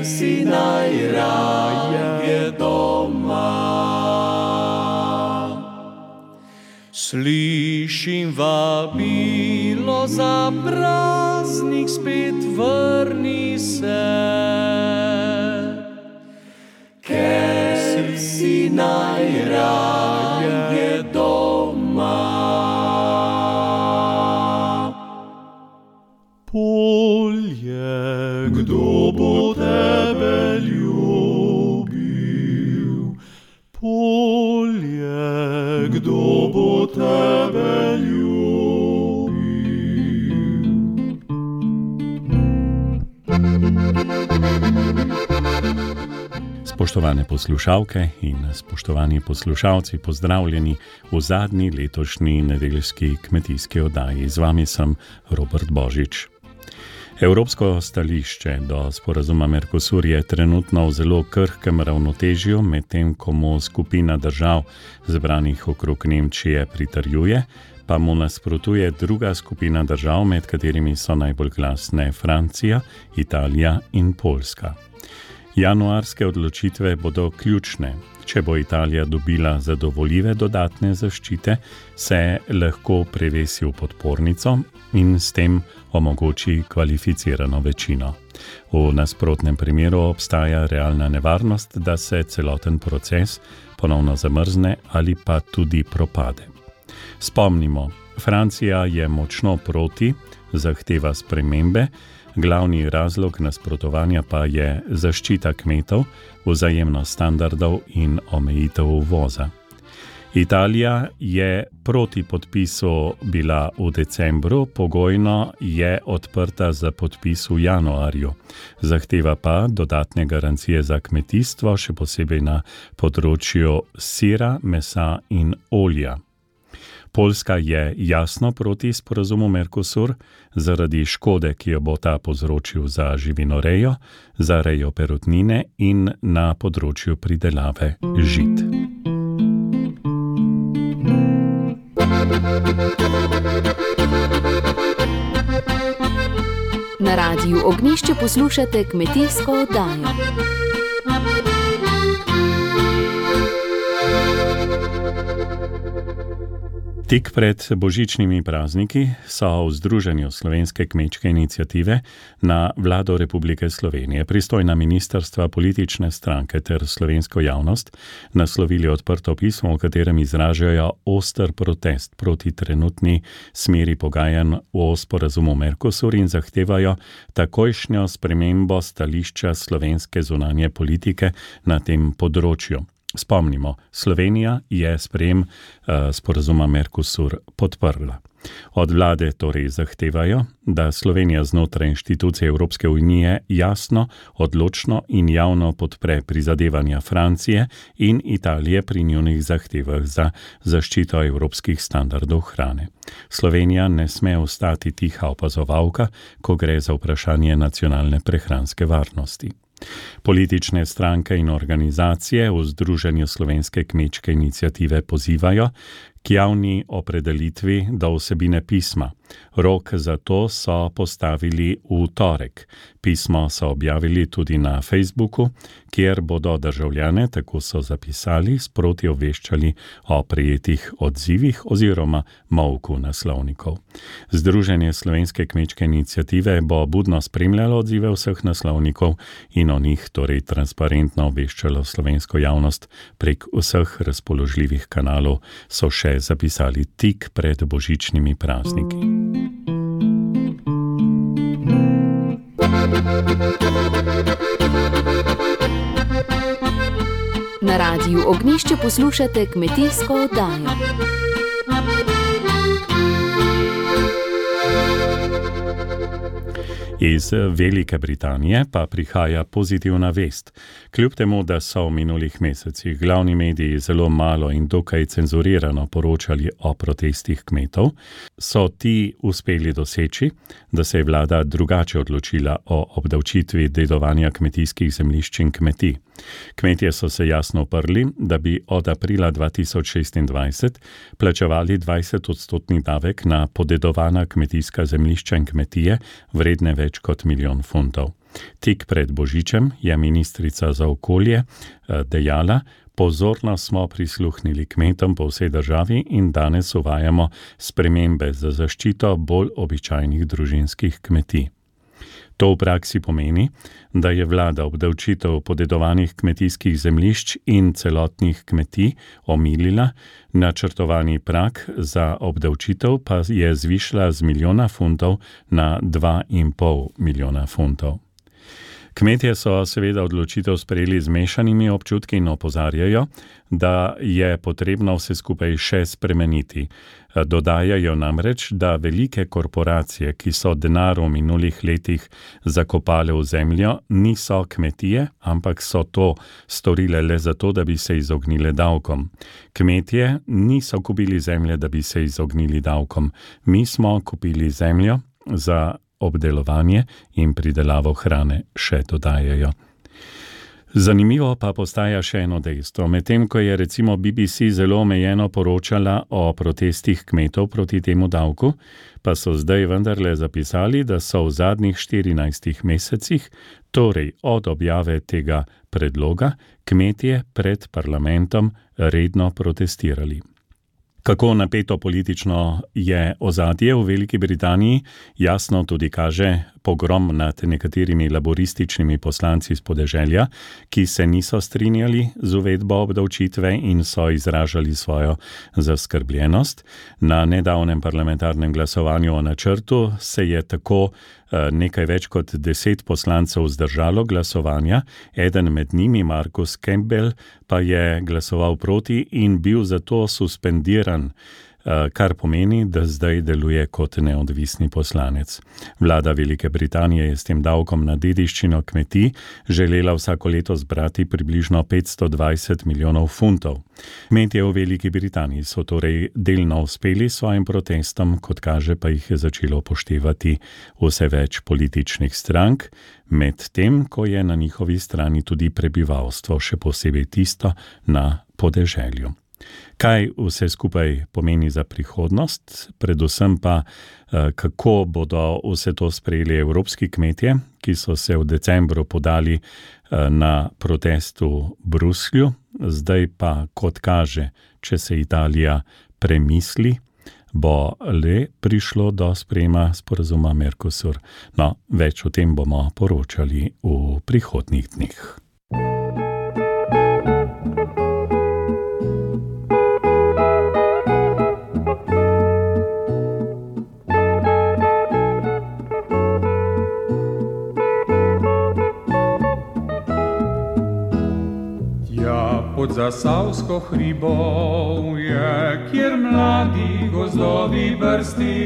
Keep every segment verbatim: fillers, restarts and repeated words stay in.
si najraje doma. Slišim vabilo za praznik, spet vrni se, ker si najraje doma. Polje, kdo bo tebe ljubil? Polje, kdo bo tebe ljubil? Spoštovane poslušalke in spoštovani poslušalci, pozdravljeni v zadnji letošnji nedeljski kmetijski oddaji. Z vami sem Robert Božič. Evropsko stališče do sporazuma Mercosur je trenutno v zelo krhkem ravnotežju, medtem ko mu skupina držav zbranih okrog Nemčije pritrjuje, pa mu nasprotuje druga skupina držav, med katerimi so najbolj glasne Francija, Italija in Poljska. Januarske odločitve bodo ključne. Če bo Italija dobila zadovoljive dodatne zaščite, se lahko prevesi v podpornico in s tem omogoči kvalificirano večino. V nasprotnem primeru obstaja realna nevarnost, da se celoten proces ponovno zamrzne ali pa tudi propade. Spomnimo, Francija je močno proti, zahteva spremembe, glavni razlog nasprotovanja pa je zaščita kmetov, vzajemnost standardov in omejitev uvoza. Italija je proti podpisu bila v decembru, pogojno je odprta za podpis v januarju. Zahteva pa dodatne garancije za kmetijstvo, še posebej na področju sira, mesa in olja. Poljska je jasno proti sporazumu Mercosur zaradi škode, ki jo bo ta povzročil za živinorejo, za rejo perutnine in na področju pridelave žit. Na Radiu Ognjišče poslušate kmetijsko oddajo. Tik pred božičnimi prazniki so v Združenju slovenske kmečke iniciative na Vlado Republike Slovenije, pristojna ministrstva, politične stranke ter slovensko javnost naslovili odprto pismo, v katerem izražajo oster protest proti trenutni smeri pogajanj o sporazumu Mercosur in zahtevajo takojšnjo spremembo stališča slovenske zunanje politike na tem področju. Spomnimo, Slovenija je sprejem uh, sporazuma Mercosur podprla. Od vlade torej zahtevajo, da Slovenija znotraj inštitucije Evropske unije jasno, odločno in javno podpre prizadevanja Francije in Italije pri njunih zahtevah za zaščito evropskih standardov hrane. Slovenija ne sme ostati tiha opazovalka, ko gre za vprašanje nacionalne prehranske varnosti. Politične stranke in organizacije v Združenju slovenske kmečke iniciative pozivajo k javni opredelitvi do vsebine pisma. Rok za to so postavili v torek. Pismo so objavili tudi na Facebooku, kjer bodo državljane, tako so zapisali, sproti obveščali o prejetih odzivih oziroma molku naslovnikov. Združenje slovenske kmečke iniciative bo budno spremljalo odzive vseh naslovnikov in o njih torej transparentno obveščalo slovensko javnost prek vseh razpoložljivih kanalov, so še zapisali tik pred božičnimi prazniki. Na Radiu Ognjišče poslušate kmetijsko oddajo. Iz Velike Britanije pa prihaja pozitivna vest. Kljub temu, da so v minulih mesecih glavni mediji zelo malo in dokaj cenzurirano poročali o protestih kmetov, so ti uspeli doseči, da se je vlada drugače odločila o obdavčitvi dedovanja kmetijskih zemljišč in kmetij. Kmetje so se jasno uprli, da bi od aprila dva tisoč šestindvajset plačevali dvajset odstotni davek na podedovana kmetijska zemljišča in kmetije vredne več kot milijon funtov. Tik pred Božičem je ministrica za okolje dejala: pozorno smo prisluhnili kmetom po vsej državi in danes uvajamo spremembe za zaščito bolj običajnih družinskih kmetij. To v praksi pomeni, da je vlada obdavčitev podedovanih kmetijskih zemljišč in celotnih kmetij omilila, načrtovani prag za obdavčitev pa je zvišala z milijona funtov na dva in pol milijona funtov. Kmetje so seveda odločitev sprejeli z mešanimi občutki in opozarjajo, da je potrebno vse skupaj še spremeniti. Dodajajo namreč, da velike korporacije, ki so denar v minulih letih zakopale v zemljo, niso kmetije, ampak so to storile le zato, da bi se izognile davkom. Kmetje niso kupili zemlje, da bi se izognili davkom. Mi smo kupili zemljo za obdelovanje in pridelavo hrane, še dodajajo. Zanimivo pa postaja še eno dejstvo. Medtem ko je recimo B B C zelo omejeno poročala o protestih kmetov proti temu davku, pa so zdaj vendarle zapisali, da so v zadnjih štirinajstih mesecih, torej od objave tega predloga, kmetje pred parlamentom redno protestirali. Kako napeto politično je ozadje v Veliki Britaniji, jasno tudi kaže pogrom nad nekaterimi laborističnimi poslanci iz podeželja, ki se niso strinjali z uvedbo obdavčitve in so izražali svojo zaskrbljenost. Na nedavnem parlamentarnem glasovanju o načrtu se je tako nekaj več kot deset poslancev vzdržalo glasovanja, eden med njimi, Marcus Campbell, pa je glasoval proti in bil zato suspendiran, kar pomeni, da zdaj deluje kot neodvisni poslanec. Vlada Velike Britanije je s tem davkom na dediščino kmetij želela vsako leto zbrati približno petsto dvajset milijonov funtov. Kmetje v Veliki Britaniji so torej delno uspeli s svojim protestom, kot kaže pa jih je začelo upoštevati vse več političnih strank, medtem ko je na njihovi strani tudi prebivalstvo, še posebej tisto na podeželju. Kaj vse skupaj pomeni za prihodnost, predvsem pa kako bodo vse to sprejeli evropski kmetje, ki so se v decembru podali na protest v Bruslju, zdaj pa, kot kaže, če se Italija premisli, bo le prišlo do sprejema sporazuma Mercosur. No, več o tem bomo poročali v prihodnjih dneh. Pod Zasavsko hribovje, kjer mladi gozdovi brsti,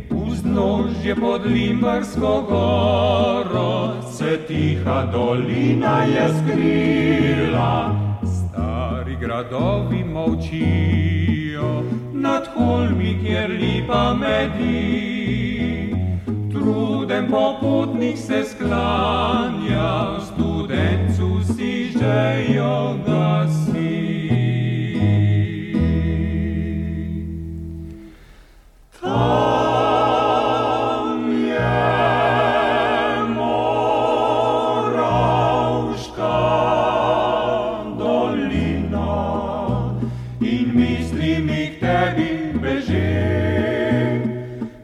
vznožje pod Limbarsko goro, se tiha dolina je skrila. Stari gradovi molčijo, nad holmi, kjer lipa medi. Truden popotnik se sklanja, studencu si žejo gasi. Tam je Moravška dolina in misli mi k tebi beži,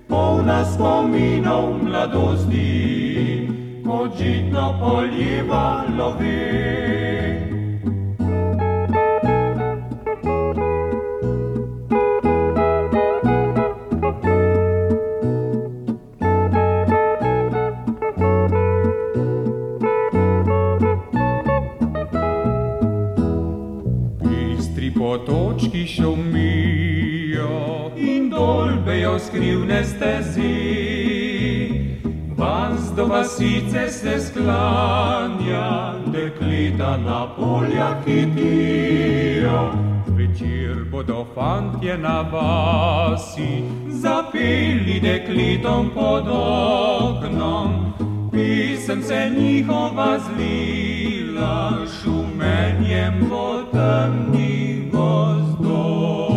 polna spominov mladosti, kot žitno poljiva lovi. Bistri potočki šumijo in dolbejo skrivne stezi, vas do vasice se sklanja, dekleta na poljah hitijo. Zvečer bodo fantje na vasi zapeli dekletom pod oknom, pisemce njihova zlila šumenjem po temnih gozdov.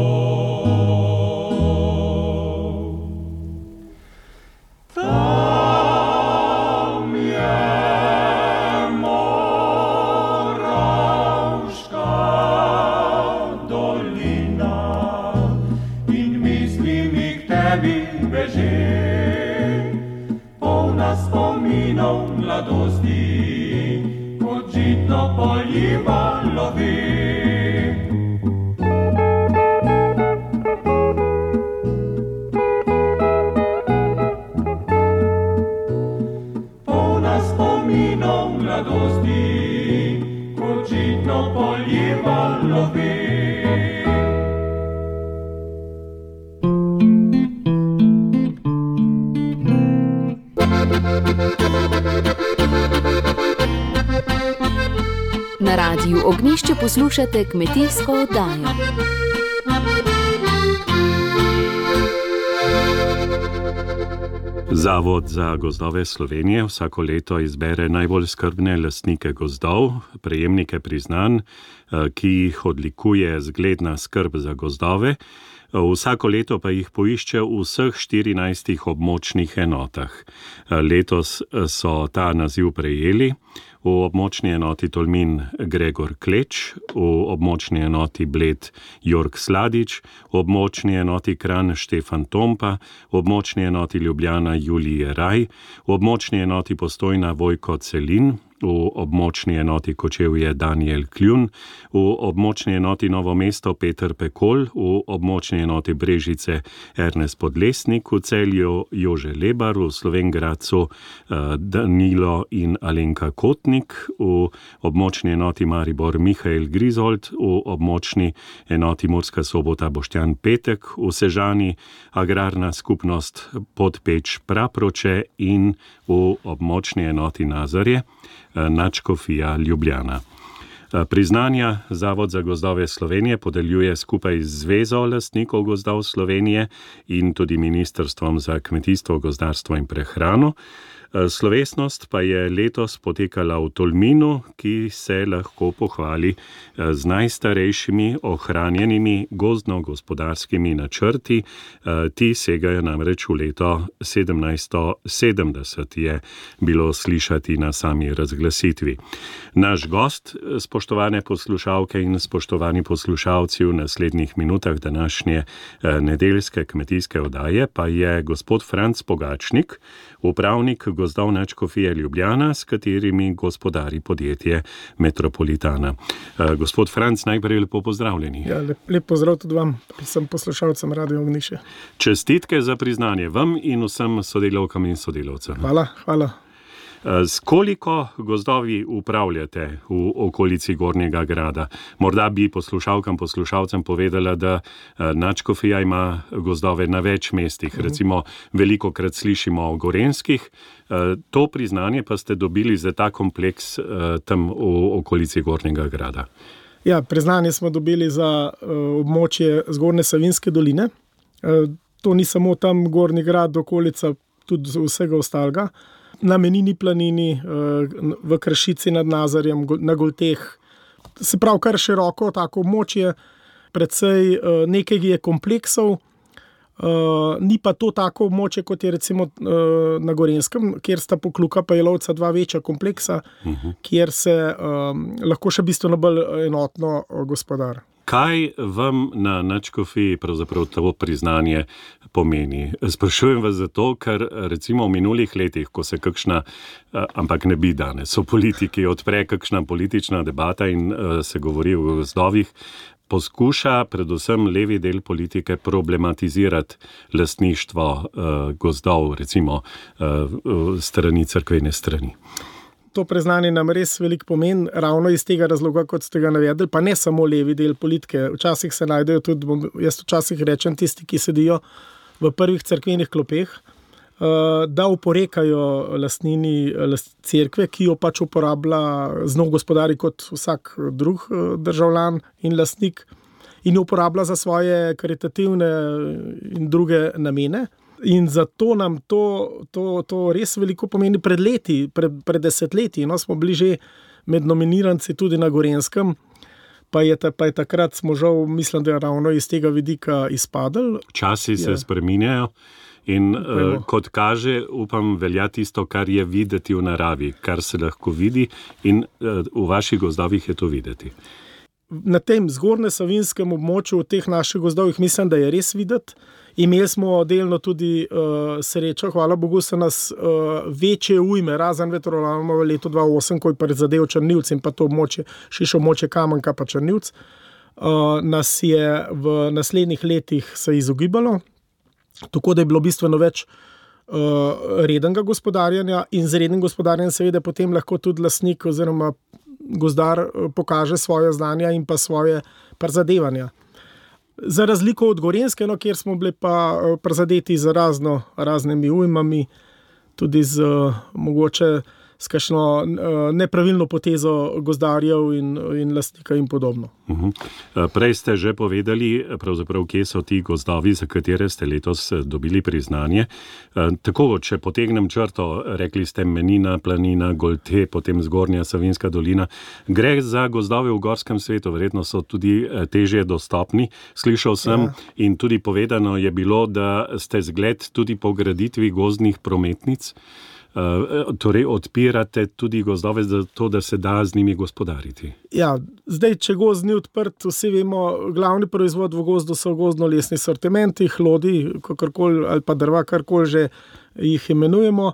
Tam je polna spominov mladosti, kot žitno poljiva lovi. Polna spominov mladosti, kot žitno poljiva lovi. Na Radiu Ognjišče poslušate kmetijsko oddajo. Zavod za gozdove Slovenije vsako leto izbere najbolj skrbne lastnike gozdov, prejemnike priznanj, ki jih odlikuje zgledna skrb za gozdove. Vsako leto pa jih poišče v vseh štirinajstih območnih enotah. Letos so ta naziv prejeli v območni enoti Tolmin Gregor Kleč, v območni enoti Bled Jorg Sladič, v območni enoti Kranj Štefan Tompa, v območni enoti Ljubljana Julije Raj, v območni enoti Postojna Vojko Celin, v območni enoti Kočevje Daniel Kljun, v območni enoti Novo mesto Peter Pekol, v območni enoti Brežice Ernest Podlesnik, v Celju Jože Lebar, v Slovenj Gradcu Danilo in Alenka Kotnik, v območni enoti Maribor Mihael Grizold, v območni enoti Murska Sobota Boštjan Petek, v Sežani agrarna skupnost Podpeč Praproče in v območni enoti Nazarje Nadškofija Ljubljana. Priznanja Zavod za gozdove Slovenije podeljuje skupaj z Zvezo lastnikov gozdov Slovenije in tudi Ministrstvom za kmetijstvo, gozdarstvo in prehrano. Slovesnost pa je letos potekala v Tolminu, ki se lahko pohvali z najstarejšimi ohranjenimi gozdno-gospodarskimi načrti. Ti segajo namreč v leto sedemnajststo sedemdeset, je bilo slišati na sami razglasitvi. Naš gost, spoštovane poslušalke in spoštovani poslušalci, v naslednjih minutah današnje nedeljske kmetijske oddaje pa je gospod Franc Pogačnik, upravnik gozdov Nadškofije Ljubljana, s katerimi gospodari podjetje Metropolitana. Gospod Franc, najprej lepo pozdravljeni. Ja, lep, lep pozdrav tudi vam, vsem poslušalcem Radio Ognjišče. Čestitke za priznanje vam in vsem sodelavkam in sodelavcem. Hvala, hvala. S koliko gozdovi upravljate v okolici Gornjega Grada? Morda bi poslušalkam, poslušalcem povedala, da Nadškofija ima gozdove na več mestih. Recimo, velikokrat slišimo o gorenjskih. To priznanje pa ste dobili za ta kompleks tam v okolici Gornjega Grada. Ja, priznanje smo dobili za območje Zgornje Savinjske doline. To ni samo tam Gornji Grad, okolica, tudi vsega ostalega. Na Menini planini, v Kršici nad Nazarjem, na Golteh. Se pravi, kar široko tako območje, precej nekaj je kompleksov, ni pa to tako območje, kot je recimo na Gorenjskem, kjer sta Pokluka pa Jelovca dva večja kompleksa, uh-huh. kjer se lahko še bistveno bolj enotno gospodar. Kaj vam na Nadškofiji pravzaprav to priznanje pomeni? Sprašujem vas zato, ker recimo v minulih letih, ko se kakšna, ampak ne bi danes, o politiki odpre kakšna politična debata in se govori o gozdovih, poskuša predvsem levi del politike problematizirati lastništvo gozdov, recimo strani, cerkvene strani. To priznanje nam res veliko pomeni, ravno iz tega razloga, kot ste ga navedli, pa ne samo levi del politike. Včasih se najdejo tudi, jaz včasih rečem, tisti, ki sedijo v prvih cerkvenih klopeh, da uporekajo lastnini cerkve, ki jo pač uporablja z njo gospodari kot vsak drug državljan in lastnik in jo uporablja za svoje karitativne in druge namene. In zato nam to, to, to res veliko pomeni. Pred leti, pred, pred desetletji, no, smo bili že med nominiranci tudi na Gorenjskem, pa je, ta, pa je takrat smo žal, mislim, da je ravno iz tega vidika izpadli. Časi se spreminjajo in uh, kot kaže, upam, velja tisto, kar je videti v naravi, kar se lahko vidi in uh, v vaših gozdovih je to videti. na tem zgornje savinjskem območju v teh naših gozdovih mislim, da je res videti. Imeli smo delno tudi uh, srečo, hvala Bogu, so nas uh, večje ujme, razen vetrolomov v letu dva tisoč osem, ko je prizadel Črnivc in pa to območje, širše območje Kamenka pa Črnivc, uh, nas je v naslednjih letih se izogibalo, tako da je bilo bistveno več uh, rednega gospodarjanja in z rednim gospodarjenjem seveda potem lahko tudi lastnik oziroma gozdar uh, pokaže svoje znanja in pa svoje prizadevanja. Za razliko od Gorenjske, no, kjer smo bili pa prizadeti z razno, raznimi ujmami, tudi z mogoče s kakšno nepravilno potezo gozdarjev in, in lastnika in podobno. Uh-huh. Prej ste že povedali, pravzaprav, kje so ti gozdovi, za katere ste letos dobili priznanje. Tako, če potegnem črto, rekli ste Menina, Planina, Golte, potem Zgornja Savinjska dolina. Gre za gozdove v gorskem svetu, verjetno so tudi težje dostopni. Slišal sem ja. In tudi povedano je bilo, da ste zgled tudi po graditvi gozdnih prometnic. Uh, torej odpirate tudi gozdove za to, da se da z njimi gospodariti. Ja, zdaj, če gozd ni odprt, vsi vemo, glavni proizvod v gozdu so gozdno-lesni sortimenti, hlodi, kakorkoli, ali pa drva, karkoli že jih imenujemo.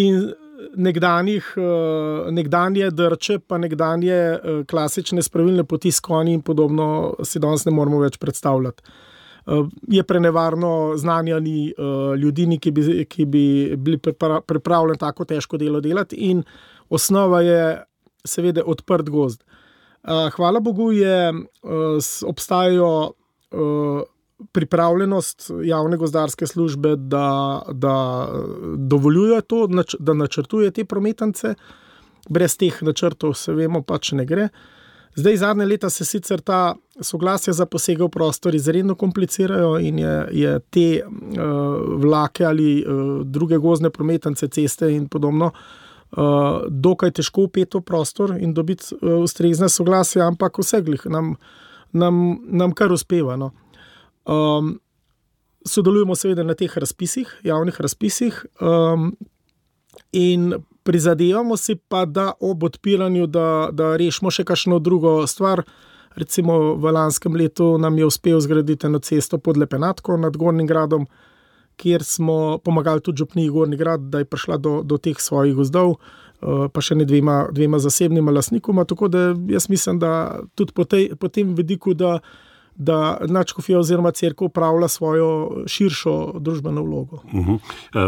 In nekdanjih, uh, nekdanje drče, pa nekdanje uh, klasične spravilne poti s konji in podobno si danes ne moramo več predstavljati. Je prenevarno znanjani uh, ljudini, ki bi, ki bi bili pripravljeni tako težko delo delati in osnova je seveda odprt gozd. Uh, hvala Bogu je, uh, obstajajo uh, pripravljenost javne gozdarske službe, da, da dovoljuje to, da načrtuje te prometance. Brez teh načrtov se vemo, pač ne gre. Zdaj, zadnje leta se sicer ta soglasja za posege v prostor izredno komplicirajo in je, je te uh, vlake ali uh, druge gozdne prometance, ceste in podobno uh, dokaj težko vpeti v prostor in dobiti uh, ustrezne soglasja, ampak vseglih nam, nam, nam kar uspeva. No. Um, sodelujemo seveda na teh razpisih, javnih razpisih um, in prizadevamo si pa, da ob odpiranju, da, da rešimo še kakšno drugo stvar. Recimo v lanskem letu nam je uspel zgraditi eno cesto pod Lepenatko nad Gornjim gradom, kjer smo pomagali tudi župniji Gornji grad, da je prišla do, do teh svojih gozdov, pa še ne dvema, dvema zasebnima lastnikoma. Tako da jaz mislim, da tudi po, tej, po tem vidiku, da da nadškofija oziroma cerkev upravlja svojo širšo družbeno vlogo. Uh-huh.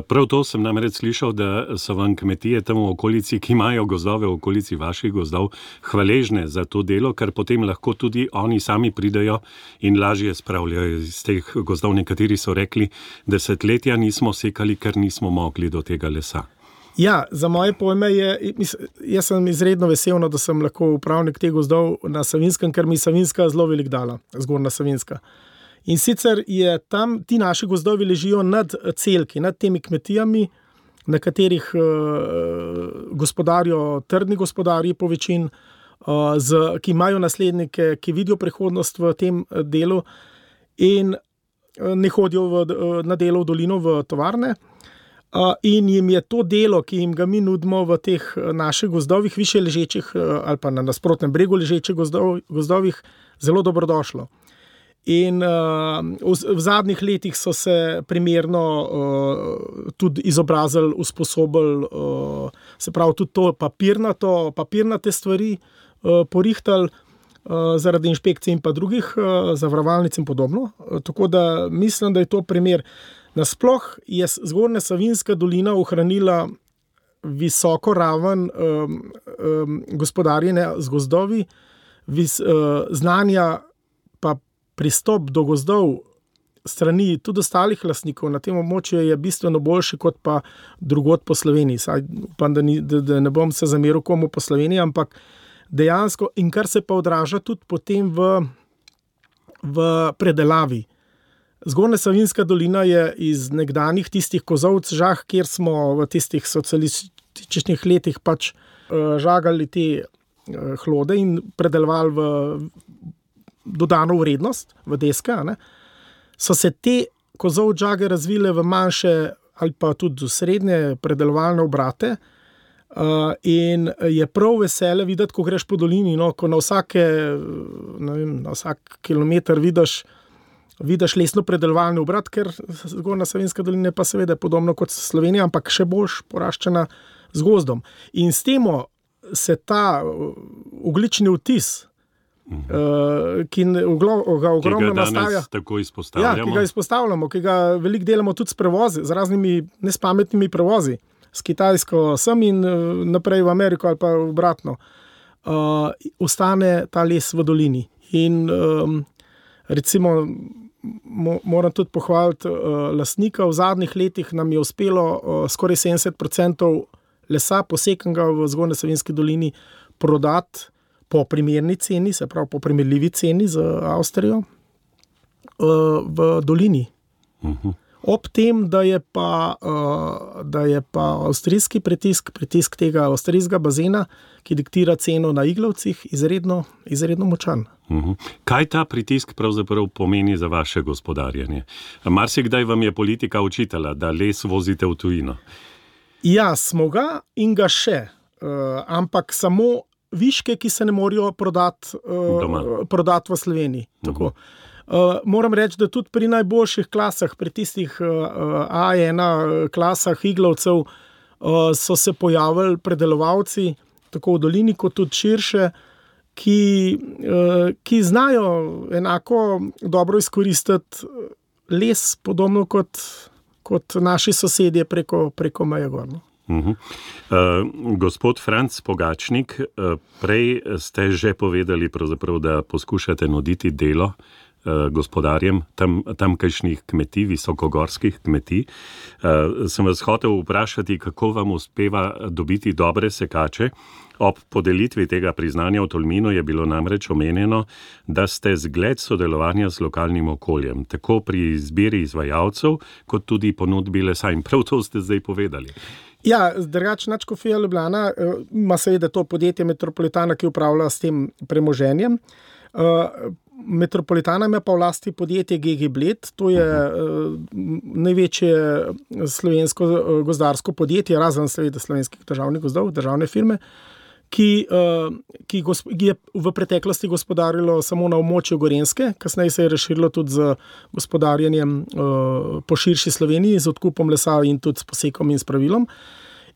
Prav to sem namreč slišal, da so vam kmetije tam v okolici, ki imajo gozdove v okolici vaših gozdov, hvaležne za to delo, ker potem lahko tudi oni sami pridejo in lažje spravljajo iz teh gozdov. Nekateri so rekli, desetletja nismo sekali, ker nismo mogli do tega lesa. Ja, za moje pojme je, jaz sem izredno vesel, da sem lahko upravnik teh gozdov na Savinjskem, ker mi Savinjska zelo velik dala, Zgornja Savinjska. In sicer je tam, ti naši gozdovi ležijo nad celki, nad temi kmetijami, na katerih uh, gospodarijo trdni gospodarji po večin, uh, z, ki imajo naslednike, ki vidijo prihodnost v tem delu in uh, ne hodijo v, uh, na delo v dolino v tovarne. Uh, in jim je to delo, ki jim ga mi nudimo v teh naših gozdovih, više ležečih uh, ali pa na nasprotnem bregu ležečih gozdov, gozdovih, zelo dobrodošlo. In uh, v, v zadnjih letih so se primerno uh, tudi izobrazili, usposobili, uh, se pravi tudi to papirnato, papirnate stvari uh, porihtali uh, zaradi inšpekcij in pa drugih uh, zavarovalnic in podobno. Uh, tako da mislim, da je to primer. Nasploh je Zgornja Savinjska dolina ohranila visoko raven um, um, gospodarjenja z gozdovi, vis, uh, znanja pa pristop do gozdov strani tudi ostalih lastnikov na tem območju je bistveno boljši kot pa drugod po Sloveniji. Saj upam, da, ni, da, da ne bom se zameril komu po Sloveniji, ampak dejansko, in kar se pa odraža tudi potem v, v predelavi. Zgornja Savinjska dolina je iz nekdanjih tistih kozovc žah, kjer smo v tistih socialističnih letih pač uh, žagali te uh, hlode in predelovali v dodano vrednost, v deske, ne? So se te kozovc žage razvile v manjše ali pa tudi srednje predelovalne obrate, Uh, in je prav vesele videti, ko greš po dolini, no, ko na, vsake, ne vem, na vsak kilometer vidiš, vidiš lesno predelovalni obrat, ker Zgornja Savinjska dolina je pa seveda podobno kot Slovenija, ampak še boljš poraščena z gozdom. In s temo se ta oglični vtis, uh, ki ga ogromno nastavlja, tako izpostavljamo. Ja, ki ga izpostavljamo, ki ga veliko delamo tudi s prevozi, z raznimi nespametnimi prevozi, s Kitajsko sem in naprej v Ameriko ali pa obratno, uh, ostane ta les v dolini. In um, recimo mo, moram tudi pohvaliti uh, lastnika, v zadnjih letih nam je uspelo uh, skoraj sedemdeset procentov lesa posekanega v Zgornji Savinjski dolini prodati po primerni ceni, se pravi po primerljivi ceni z Avstrijo, uh, v dolini. Uh-huh. Ob tem, da je pa, uh, da je pa avstrijski pritisk, pritisk tega avstrijskega bazena, ki diktira ceno na iglavcih, izredno, izredno močan. Uh-huh. Kaj ta pritisk pravzaprav pomeni za vaše gospodarjenje? Marsikdaj vam je politika učitala, da les vozite v tujino. Ja, smo ga in ga še, uh, ampak samo viške, ki se ne morajo prodati, uh, prodati v Sloveniji. Tako. Uh-huh. Uh, moram reči, da tudi pri najboljših klasah, pri tistih uh, A ena klasah iglavcev uh, so se pojavili predelovalci, tako v dolini kot tudi širše, ki, uh, ki znajo enako dobro izkoristiti les, podobno kot, kot naši sosedje preko, preko meje gor. Uh-huh. Uh, gospod Franc Pogačnik, uh, prej ste že povedali, pravzaprav, da poskušate nuditi delo gospodarjem tam, tamkajšnjih kmetij, visokogorskih kmetij. Uh, sem vas hotel vprašati, kako vam uspeva dobiti dobre sekače. Ob podelitvi tega priznanja v Tolminu je bilo namreč omenjeno, da ste zgled sodelovanja z lokalnim okoljem, tako pri izbiri izvajalcev, kot tudi ponudbi lesa. In prav to ste zdaj povedali. Ja, drugače Nadškofija Ljubljana ima seveda to podjetje Metropolitana, ki upravlja s tem premoženjem. Uh, Metropolitana ima pa v lasti podjetje G G Bled, to je uh, največje slovensko gozdarsko podjetje, razen seveda Slovenskih državnih gozdov, državne firme, ki, uh, ki, gosp- ki je v preteklosti gospodarilo samo na območju Gorenjske, kasneje se je razširilo tudi z gospodarjenjem uh, po širši Sloveniji, z odkupom lesa in tudi s posekom in s pravilom.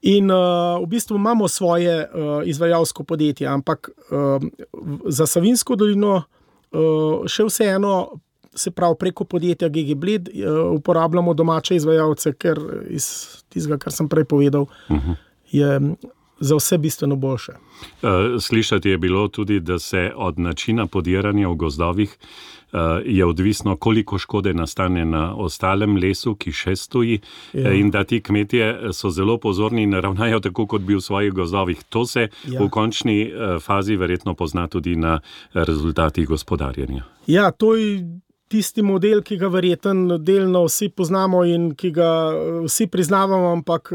In uh, v bistvu imamo svoje uh, izvajalsko podjetje, ampak uh, za Savinjsko dolino Uh, še vseeno, se pravi preko podjetja G G Bled, uh, uporabljamo domače izvajalce, ker iz tistega, kar sem prej povedal, uh-huh. je za vse bistveno boljše. Uh, slišati je bilo tudi, da se od načina podiranja v gozdovih uh, je odvisno, koliko škode nastane na ostalem lesu, ki še stoji, ja. In da ti kmetje so zelo pozorni in ravnajo tako, kot bi v svojih gozdovih. To se ja. v končni uh, fazi verjetno pozna tudi na rezultatih gospodarjenja. Ja, to je tisti model, ki ga verjetno delno vsi poznamo in ki ga vsi priznavamo, ampak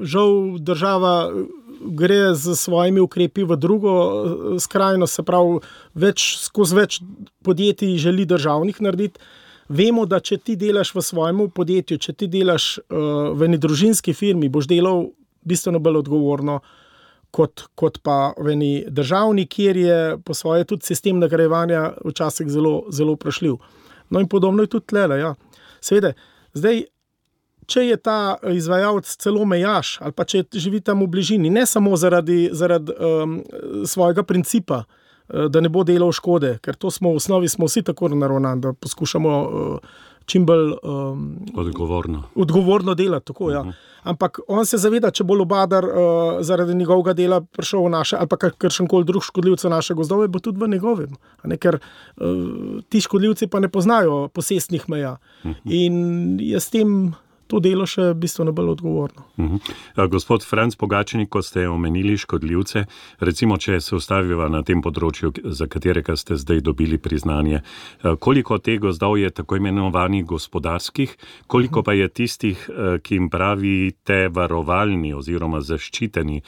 žal država gre z svojimi ukrepi v drugo skrajno, se pravi, več, skozi več podjetij želi državnih narediti. Vemo, da če ti delaš v svojem podjetju, če ti delaš uh, v eni družinski firmi, boš delal bistveno bolj odgovorno kot, kot pa v eni državni, kjer je po svoje tudi sistem nagrajevanja včasih zelo, zelo vprašljiv. No in podobno je tudi tlele, ja. Seveda, zdaj, če je ta izvajalec celo mejaš, ali pa če živi tam v bližini, ne samo zaradi, zaradi um, svojega principa, uh, da ne bo delal škode, ker to smo v osnovi smo vsi tako naravnani, da poskušamo uh, čim bolj um, odgovorno. odgovorno delati. Tako, ja. uh-huh. Ampak on se zaveda, če bo lubadar uh, zaradi njegovega dela prišel v naše, ali pa kakšenkoli drug škodljivce naše gozdove, bo tudi v njegovem. Ne? Ker uh, ti škodljivci pa ne poznajo posestnih meja. Uh-huh. In je s tem to delo še bistveno bolj odgovorno. Uh-huh. Gospod Franc Pogačnik, ko ste omenili škodljivce, recimo, če se ustaviva na tem področju, za katerega ste zdaj dobili priznanje, koliko teh gozdov je tako imenovanih gospodarskih, koliko pa je tistih, ki jim pravite varovalni oziroma zaščiteni.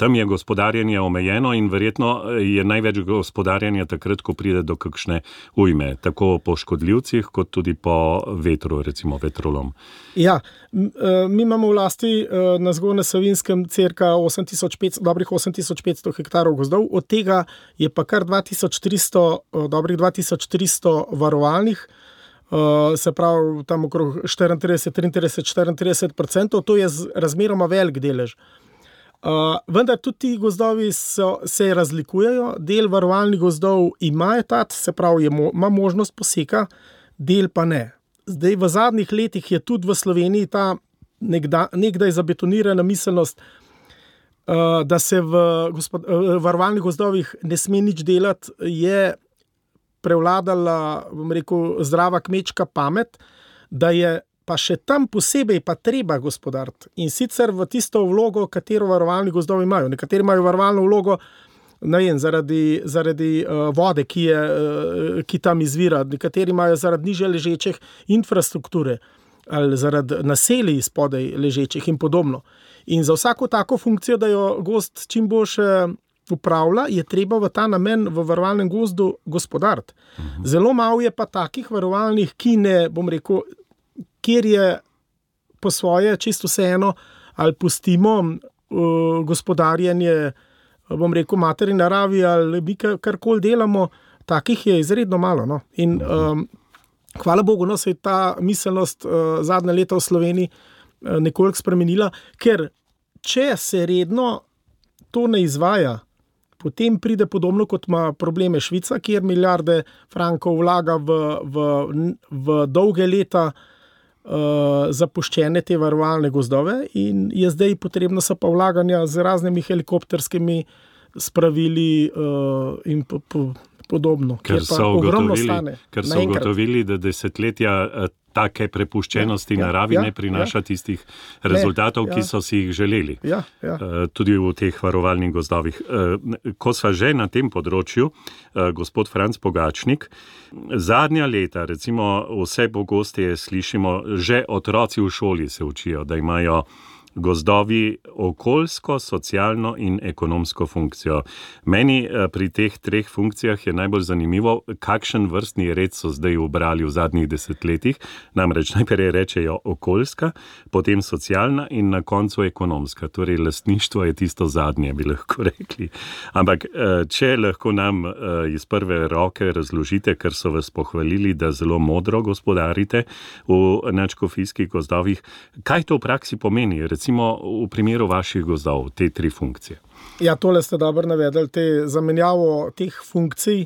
Tam je gospodarjenje omejeno in verjetno je največ gospodarjenja takrat, ko pride do kakšne ujme, tako po škodljivcih, kot tudi po vetru, recimo vetrolom. Ja, mi imamo v lasti na Zgornjem Savinjskem cirka osem tisoč petsto, dobrih osem tisoč petsto hektarov gozdov, od tega je pa kar dva tisoč tristo, dobrih dva tisoč tristo varovalnih, se pravi tam okrog štiriintrideset, triintrideset, štiriintrideset procentov, to je razmeroma velik delež. Uh, vendar tudi ti gozdovi so, se razlikujejo, del varovalnih gozdov ima etat, se pravi, je mo, ima možnost poseka, del pa ne. Zdaj v zadnjih letih je tudi v Sloveniji ta nekda, nekdaj zabetonirana miselnost, uh, da se v gospod, uh, varovalnih gozdovih ne sme nič delati, je prevladala, bom rekel, zdrava kmečka pamet, da je pa še tam posebej pa treba gospodariti. In sicer v tisto vlogo, katero varovalni gozdovi imajo. Nekateri imajo varovalno vlogo, ne vem, zaradi, zaradi uh, vode, ki, je, uh, ki tam izvira. Nekateri imajo zaradi nižje ležečih infrastrukture ali zaradi naselij spodaj ležečih in podobno. In za vsako tako funkcijo, da jo gozd čim boljše upravlja, je treba v ta namen v varovalnem gozdu gospodariti. Mhm. Zelo malo je pa takih varovalnih, ki ne, bom rekel, kjer je po svoje čisto vseeno, ali pustimo uh, gospodarjenje, bom rekel, materi naravi, ali mi karkoli delamo, takih je izredno malo. No? In um, hvala Bogu, no, se je ta miselnost uh, zadnje leta v Sloveniji uh, nekoliko spremenila, ker če se redno to ne izvaja, potem pride podobno, kot ima probleme Švica, kjer milijarde frankov vlaga v, v, v dolge leta Uh, zapuščene te varovalne gozdove in je zdaj potrebno so pa vlaganja z raznimi helikopterskimi spravili uh, in po, po, podobno. Ker so ugotovili, ker so ugotovili, da desetletja uh, take prepuščenosti ja, naravi ja, ne prinaša ja. tistih rezultatov, ne, ja. ki so si jih želeli. Ja, ja. Uh, tudi v teh varovalnih gozdovih. Uh, ko sva že na tem področju, uh, gospod Franc Pogačnik, zadnja leta, recimo vse pogosteje slišimo, že otroci v šoli se učijo, da imajo gozdovi okoljsko, socialno in ekonomsko funkcijo. Meni pri teh treh funkcijah je najbolj zanimivo, kakšen vrstni red so zdaj ubrali v zadnjih desetletjih. Namreč najprej rečejo okoljska, potem socialna in na koncu ekonomska. Torej, lastništvo je tisto zadnje, bi lahko rekli. Ampak, če lahko nam iz prve roke razložite, ker so vas pohvalili, da zelo modro gospodarite v nadškofijskih gozdovih, kaj to v praksi pomeni? Recimo v primeru vaših gozdov, te tri funkcije. Ja, tole ste dobro navedli, te zamenjavo teh funkcij.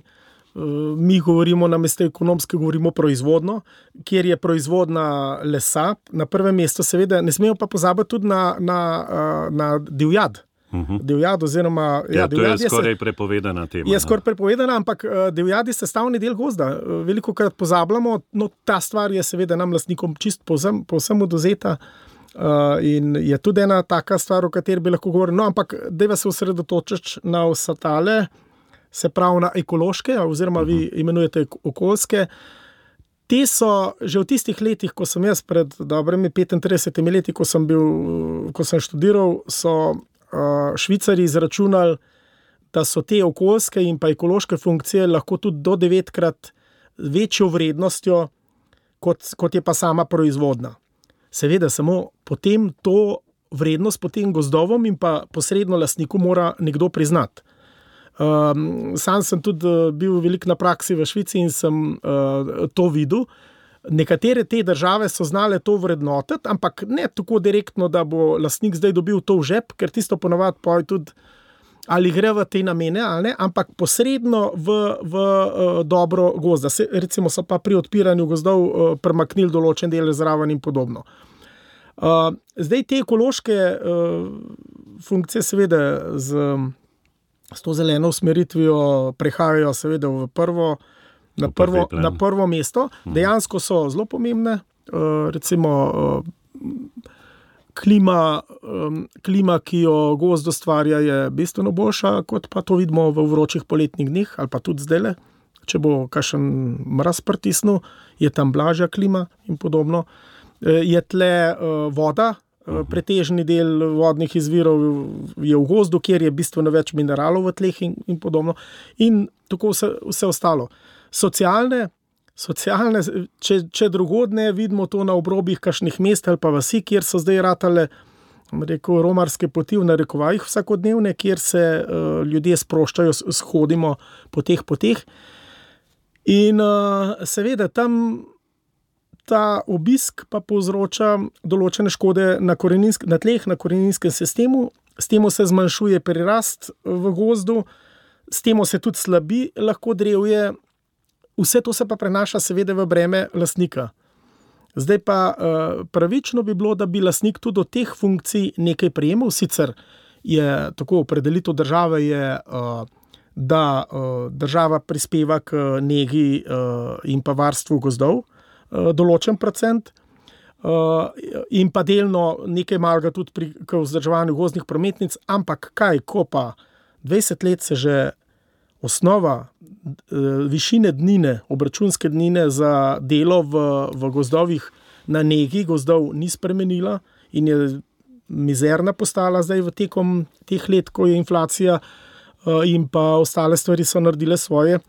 Mi govorimo namesto ekonomske, govorimo proizvodno, kjer je proizvodna lesa. Na prvem mestu seveda, ne smemo pa pozabiti tudi na, na, na divjad. Uh-huh. Divjad oziroma... Ja, ja, to je skoraj se, prepovedana tema. Je skoraj prepovedana, ampak divjad je sestavni del gozda. Veliko krat pozabljamo, no ta stvar je seveda nam lastnikom čist povsem, povsem odvzeta. Uh, in je tudi ena taka stvar, o kateri bi lahko govorili. No, ampak dajva se osredotočiti na vse tale, se pravi na ekološke, oziroma vi imenujete okoljske. Te so že v tistih letih, ko sem jaz pred dobrimi petintridesetimi leti, ko sem bil, ko sem študiral, so uh, Švicari izračunali, da so te okoljske in pa ekološke funkcije lahko tudi do devetkrat večjo vrednostjo, kot, kot je pa sama proizvodna. Seveda samo potem to vrednost potem gozdovom in pa posredno lastniku mora nekdo priznati. Um, sam sem tudi bil veliko na praksi v Švici in sem uh, to videl. Nekatere te države so znale to vrednotiti, ampak ne tako direktno, da bo lastnik zdaj dobil to v žep, ker tisto ponavadi poje tudi ali gre v te namene, ali ne, ampak posredno v, v uh, dobro gozda. Se, recimo so pa pri odpiranju gozdov uh, premaknili določen del zraven in podobno. Uh, zdaj te ekološke uh, funkcije seveda z, s to zeleno usmeritvijo prehajajo seveda v prvo, na, prvo, na prvo mesto. Dejansko so zelo pomembne. Uh, recimo uh, klima, um, klima, ki jo gozd ustvarja, je bistveno boljša, kot pa to vidimo v vročih poletnih dneh, ali pa tudi zdajle. Če bo kakšen mraz pritisnil, je tam blažja klima in podobno. Je tle uh, voda, uh, pretežni del vodnih izvirov je v gozdu, kjer je bistveno več mineralov v tleh in, in podobno. In tako vse, vse ostalo. Socialne, socialne, če, če drugodne, vidimo to na obrobjih kakšnih mest ali pa vasi, kjer so zdaj ratale, rekel, romarske poti v narekovajih vsakodnevne, kjer se uh, ljudje sproščajo, shodimo po teh poteh. In uh, seveda tam ta obisk pa povzroča določene škode na, na tleh, na koreninskem sistemu, s tem se zmanjšuje prirast v gozdu, s tem se tudi slabi lahko drevje, vse to se pa prenaša seveda v breme lastnika. Zdaj pa pravično bi bilo, da bi lastnik tudi od teh funkcij nekaj prejemal, sicer je tako opredelitev države je, da država prispeva k negi in pa varstvu gozdov, določen procent in pa delno nekaj malega tudi pri vzdrževanju gozdnih prometnic, ampak kaj, ko pa dvajset let se že osnova višine dnine, obračunske dnine za delo v, v gozdovih na negi gozdov ni spremenila in je mizerna postala zdaj v tekom teh let, ko je inflacija in pa ostale stvari so naredile svoje.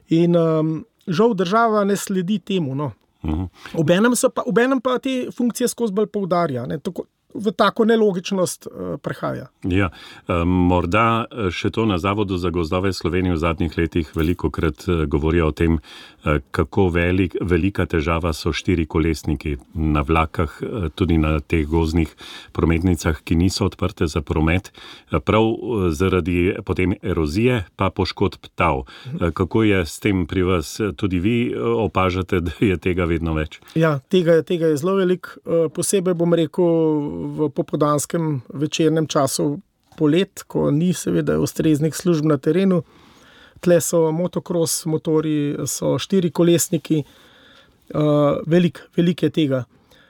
In um, žal država ne sledi temu, no. Uh-huh. Obenem, so pa, obenem pa te funkcije skozi bolj poudarja, ne, tako, v tako nelogičnost uh, prehaja. Ja, um, morda še to na Zavodu za gozdove Slovenije v zadnjih letih velikokrat uh, govorijo o tem, uh, kako velik, velika težava so štiri kolesniki na vlakah, uh, tudi na teh gozdnih prometnicah, ki niso odprte za promet, uh, prav uh, zaradi potem erozije pa poškodb tal. Uh, kako je s tem pri vas? Tudi vi uh, opažate, da je tega vedno več? Ja, tega, tega je zelo velik. Uh, posebej bom rekel v popoldanskem večernem času polet, ko ni seveda ustreznih služb na terenu. Tle so motokros motori, so štiri kolesniki, uh, velik, velik je tega.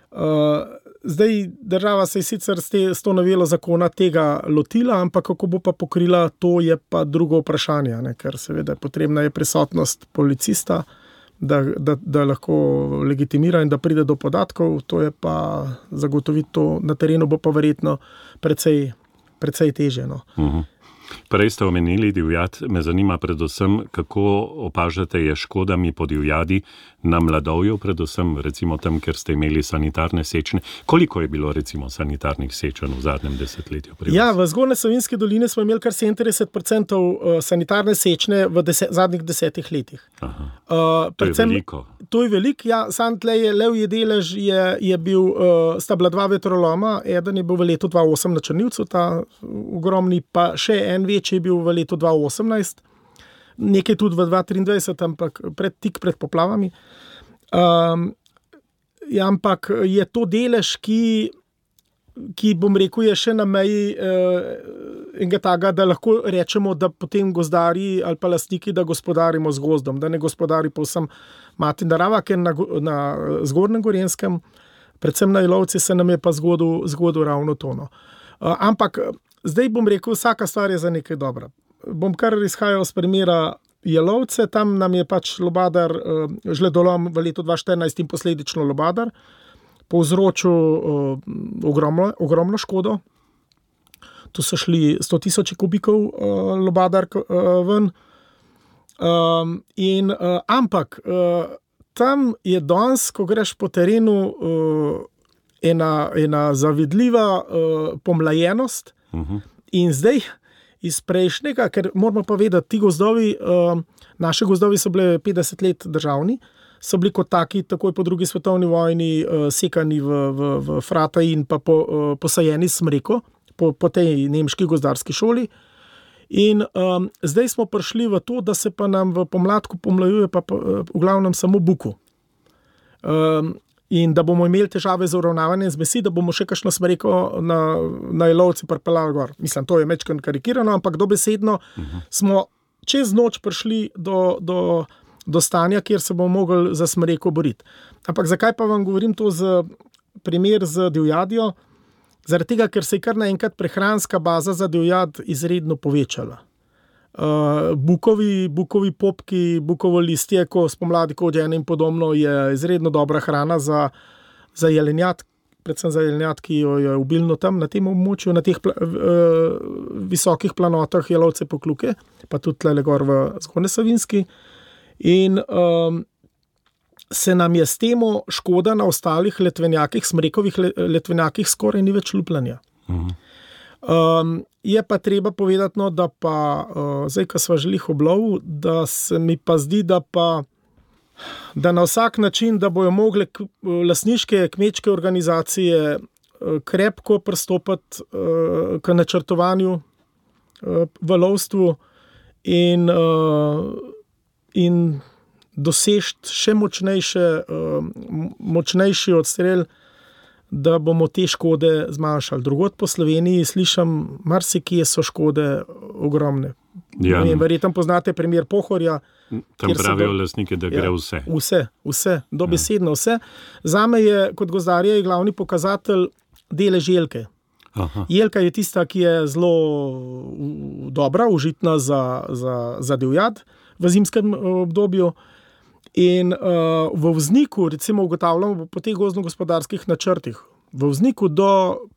Uh, zdaj država se je sicer s, te, s to novelo zakona tega lotila, ampak kako bo pa pokrila, to je pa drugo vprašanje, ne? Ker seveda potrebna je prisotnost policista, Da, da, da lahko legitimira in da pride do podatkov, to je pa zagotoviti to na terenu bo pa verjetno precej, precej težje. No. Uh-huh. Prej ste omenili divjad, me zanima predvsem, kako opažate je škodami po divjadi na mladovju, predvsem recimo tam, ker ste imeli sanitarne sečne. Koliko je bilo recimo sanitarnih sečenj v zadnjem desetletju? Ja, v Zgornje Savinjski dolini smo imeli kar sedemintrideset procentov sanitarne sečne v deset, zadnjih desetih letih. Aha. Uh, to predvsem, je veliko. To je veliko, ja, sam tle je levji delež je, je bil, uh, sta bila dva vetroloma, eden je bil v letu dva tisoč osem na Črnivcu, ta ogromni, pa še en večji je bil v letu dva tisoč osemnajst, nekaj tudi v dva tisoč triindvajset, ampak pred, tik pred poplavami. Um, ja, ampak je to delež, ki, ki bom rekel, je še na meji uh, enega taga, da lahko rečemo, da potem gozdari ali pa lastniki, da gospodarimo z gozdom, da ne gospodari povsem mati narava, ker na, na Zgornjem Gorenjskem, predvsem na Jelovci, se nam je pa zgodil, zgodil ravno tono. Uh, ampak zdaj bom rekel, vsaka stvar je za nekaj dobra. Bom kar izhajal z primera Jelovce, tam nam je pač lobadar, uh, žledolom v letu dva tisoč štirinajst in posledično lobadar, povzročil uh, ogromno, ogromno škodo. Tu so šli sto tisoč kubikov uh, lobadar uh, ven. Um, in, uh, ampak uh, tam je danes, ko greš po terenu, uh, ena, ena zavidljiva uh, pomlajenost. Uh-huh. In zdaj iz prejšnjega, ker moramo pa vedeti, ti gozdovi, uh, naše gozdovi so bile petdeset let državni, so bili kot taki takoj po drugi svetovni vojni uh, sekani v, v, v frata in pa po, uh, posajeni smreko po, po tej nemški gozdarski šoli. In um, zdaj smo prišli v to, da se pa nam v pomladku pomlajuje pa, pa uh, v glavnem samo buku. Um, in da bomo imeli težave z uravnavanjem zmesi, da bomo še kakšno smreko na, na Jelovci pripeljali gor. Mislim, to je mečkeno karikirano, ampak dobesedno uh-huh. smo čez noč prišli do, do, do stanja, kjer se bomo mogli za smreko boriti. Ampak zakaj pa vam govorim to z primer z divjadjo? Zaradi tega, ker se je kar naenkrat prehranska baza za divjad izredno povečala. Uh, bukovi, bukovi popki, bukovo listje, ko spomladi kodjene in podobno, je izredno dobra hrana za, za jelenjad, predvsem za jelenjad, ki jo je obilno tam na tem območju, na teh pla, uh, visokih planotah Jelovce Pokljuke, pa tudi tle gor v Zgornje Savinjski. In um, se nam je s temo škoda na ostalih letvenjakih, smrekovih letvenjakih skoraj ni več lupljanja. Mhm. Um, je pa treba povedati, no, da pa, uh, zdaj, ko sva želih oblov, da se mi pa zdi, da pa da na vsak način, da bojo mogle k, lastniške kmečke organizacije uh, krepko pristopati uh, k načrtovanju uh, v lovstvu in, uh, in dosežiti še močnejše, uh, močnejši odstrel, da bomo te škode zmanjšali. Drugod po Sloveniji slišam, marsikje so škode ogromne. Ja. Verjetno poznate primer Pohorja. Tam pravijo do, lastniki, da gre ja, vse. Vse, vse, dobesedno vse. Zame je, kot gozdarja, je glavni pokazatelj delež jelke. Aha. Jelka je tista, ki je zelo dobra, užitna za, za, za divjad v zimskem obdobju. In uh, v vzniku, recimo ugotavljamo po teh gozdno-gospodarskih načrtih, v vzniku do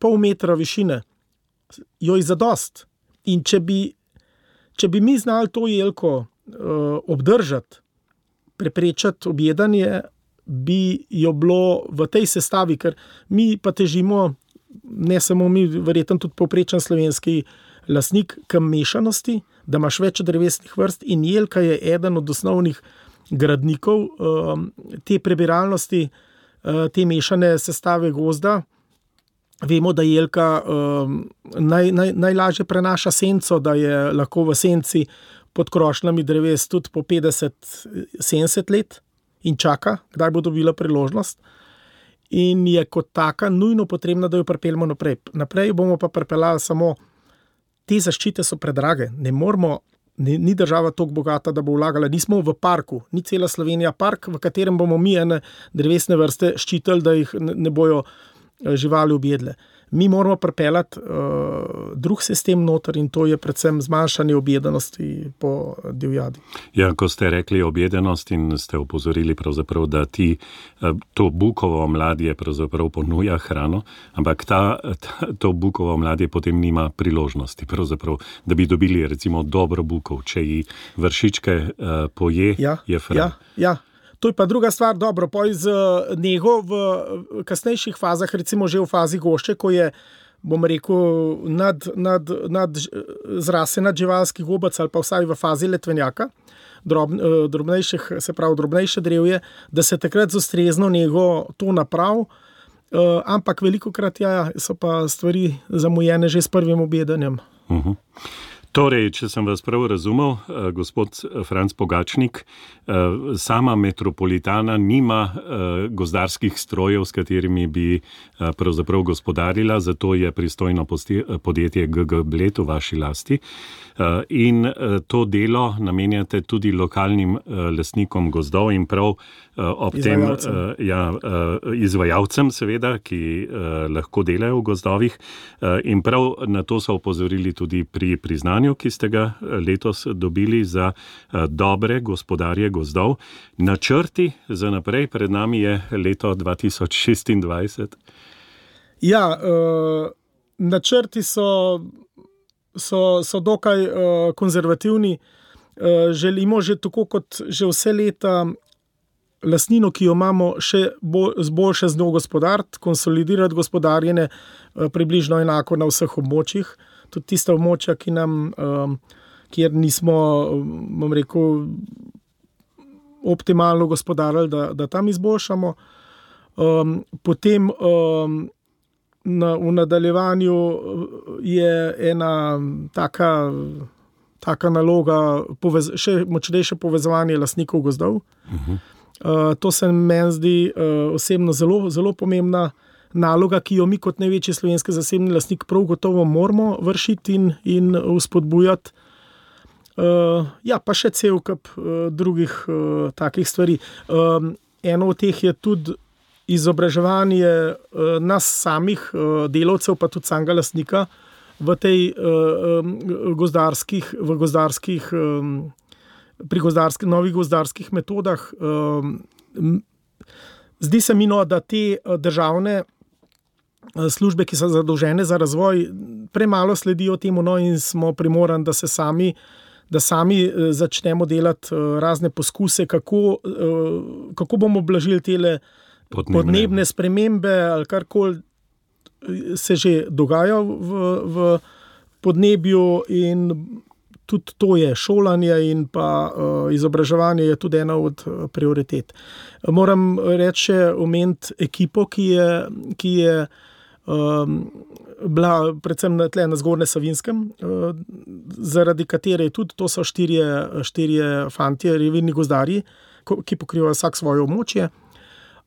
pol metra višine jo je zadost. In če bi, če bi mi znali to jelko uh, obdržati, preprečati objedanje, bi jo bilo v tej sestavi, ker mi pa težimo, ne samo mi, verjetno tudi povprečen slovenski lastnik, k mešanosti, da imaš več drevesnih vrst in jelka je eden od osnovnih gradnikov um, te prebiralnosti, uh, te mešane sestave gozda. Vemo, da jelka um, naj, naj, najlažje prenaša senco, da je lahko v senci pod krošnjami dreves tudi po petdeset sedemdeset let in čaka, kdaj bo dobila priložnost. In je kot taka nujno potrebna, da jo pripeljemo naprej. Naprej bomo pa pripeljali samo te zaščite so predrage. Ne moramo Ni, ni država toliko bogata, da bo vlagala. Nismo v parku, ni cela Slovenija park, v katerem bomo mi ene drevesne vrste ščitili, da jih ne, ne bojo živali objedle. Mi moramo pripeljati uh, drug sistem noter in to je predvsem zmanjšanje objedenosti po divjadi. Ja, ko ste rekli objedenost in ste opozorili pravzaprav, da ti to bukovo mladje pravzaprav ponuja hrano, ampak ta, ta, to bukovo mladje potem nima priložnosti pravzaprav, da bi dobili recimo dobro bukov, če ji vršičke uh, poje, ja, je hrana. Ja, ja. To je pa druga stvar, dobro, poj z nego v kasnejših fazah, recimo že v fazi gošče, ko je, bom rekel, nad, nad, nad zrase nad živalski gobac ali pa vsaj v fazi letvenjaka, drob, drobnejših, se pravi drobnejše drevje, da se takrat z ustrezno nego to naprav, ampak velikokrat ja, so pa stvari zamujene že s prvim objedanjem. Uh-huh. Torej, če sem vas prav razumel, gospod Franc Pogačnik, sama metropolitana nima gozdarskih strojev, s katerimi bi pravzaprav gospodarila, zato je pristojno podjetje G G Bled v vaši lasti. In to delo namenjate tudi lokalnim lastnikom gozdov in prav ob tem ja, izvajalcem, seveda, ki lahko delajo v gozdovih. In prav na to so opozorili tudi pri priznanju, ki ste ga letos dobili za dobre gospodarje gozdov. Načrti za naprej, pred nami je leto dva tisoč šestindvajset. Ja, uh, načrti so, so, so dokaj uh, konzervativni. Uh, želimo že tako kot že vse leta lastnino, ki jo imamo, še bolj, zboljše z njo gospodariti, konsolidirati gospodarjenje uh, približno enako na vseh območjih. Tudi tista območja, ki nam, um, kjer nismo, bom rekel, optimalno gospodarili, da, da tam izboljšamo. Um, potem um, na, v nadaljevanju je ena taka, taka naloga, povez, še močnejše povezovanje lastnikov gozdov. Uh-huh. Uh, to se meni zdi uh, osebno zelo, zelo pomembna naloga, ki jo mi kot največji slovenski zasebni lastnik prav gotovo moramo vršiti in, in vzpodbujati. Uh, ja, pa še cel kup uh, drugih uh, takih stvari. Um, eno od teh je tudi izobraževanje uh, nas samih uh, delavcev, pa tudi samega lastnika v tej uh, um, gozdarskih, v gozdarskih, um, pri gozdarskih, novih gozdarskih metodah. Um, zdi se mi, no, da te uh, državne službe, ki so zadolžene za razvoj, premalo sledijo temu, no, in smo primorani, da se sami da sami začnemo delati razne poskuse, kako, kako bomo blažili tele podnebne, podnebne spremembe ali karkoli se že dogaja v, v podnebju, in tudi to je šolanje in pa uh, izobraževanje je tudi ena od prioritet. Moram reči še omeniti ekipo, ki je, ki je um, bila predvsem na, tle, na Zgornjem Savinjskem, uh, zaradi katere tudi to so štirje, štirje fantje, revirni gozdarji, ki pokrivajo vsak svoje območje.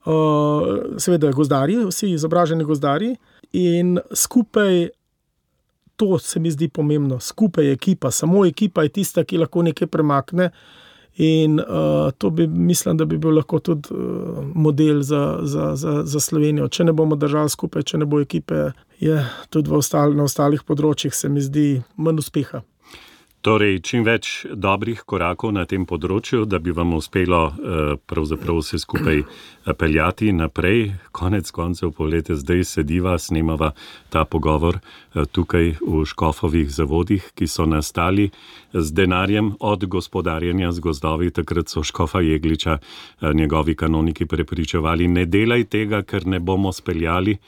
Uh, seveda gozdarji, vsi izobraženi gozdarji, in skupaj, to se mi zdi pomembno, skupaj je ekipa, samo ekipa je tista, ki lahko nekaj premakne, in uh, to bi, mislim, da bi bil lahko tudi uh, model za, za, za, za Slovenijo. Če ne bomo držali skupaj, če ne bo ekipe, je tudi v ostal, na ostalih področjih se mi zdi manj uspeha. Torej, čim več dobrih korakov na tem področju, da bi vam uspelo pravzaprav vse skupaj peljati naprej. Konec koncev, poglejte, zdaj sediva, snemava ta pogovor tukaj v Škofovih zavodih, ki so nastali z denarjem od gospodarjenja z gozdovi. Takrat so Škofa Jegliča njegovi kanoniki prepričevali, ne delaj tega, ker ne bomo speljali.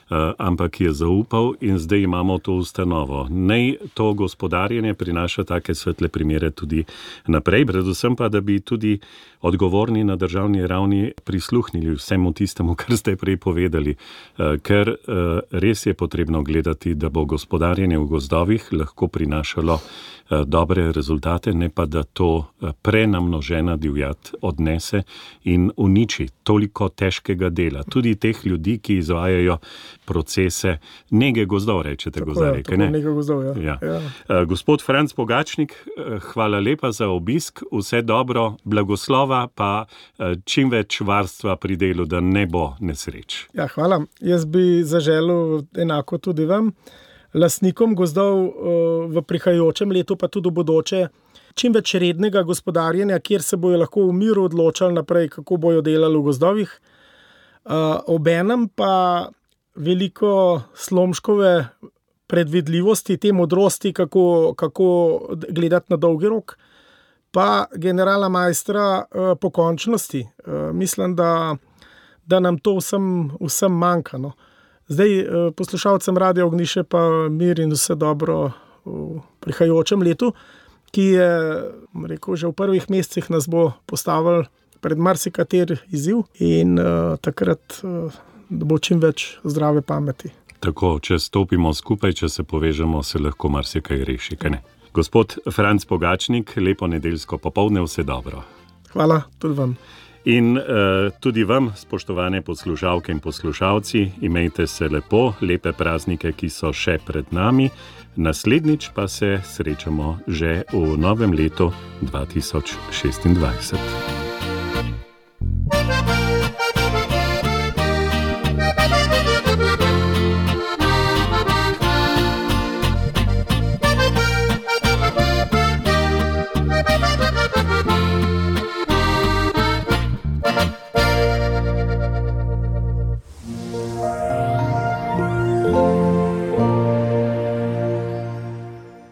Uh, ampak je zaupal, in zdaj imamo to ustanovo. Naj to gospodarjenje prinaša take svetle primere tudi naprej, predvsem pa, da bi tudi odgovorni na državni ravni prisluhnili vsemu tistemu, kar ste prej povedali, uh, ker uh, res je potrebno gledati, da bo gospodarjenje v gozdovih lahko prinašalo uh, dobre rezultate, ne pa da to uh, prenamnožena divjad odnese in uniči toliko težkega dela. Tudi teh ljudi, ki izvajajo procese nege gozdov, rečete gozdarji, kaj ne? Nege gozdov, ja. Ja. Ja. Uh, gospod Franc Pogačnik, uh, hvala lepa za obisk, vse dobro, blagoslova, pa uh, čim več varstva pri delu, da ne bo nesreč. Ja, hvala. Jaz bi zaželel enako tudi vam, lastnikom gozdov uh, v prihajajočem letu, pa tudi v bodoče, čim več rednega gospodarjenja, kjer se bojo lahko v miru odločali naprej, kako bojo delali v gozdovih. Uh, obenem pa veliko Slomškove predvidljivosti, te modrosti, kako, kako gledati na dolgi rok, pa generala majstra uh, pokončnosti. Uh, mislim, da, da nam to vsem, vsem manjka. No. Zdaj, uh, poslušalcem Radia Ognjišče pa mir in vse dobro v prihajajočem letu, ki je, rekel, že v prvih mesecih nas bo postavil pred marsikater izziv, in uh, takrat uh, da bo čim več zdrave pameti. Tako, če stopimo skupaj, če se povežemo, se lahko marsikaj reši, kaj ne? Gospod Franc Pogačnik, lepo nedeljsko popoldne, vse dobro. Hvala, tudi vam. In uh, tudi vam, spoštovane poslušalke in poslušalci, imejte se lepo, lepe praznike, ki so še pred nami. Naslednjič pa se srečamo že v novem letu dva tisoč šestindvajset.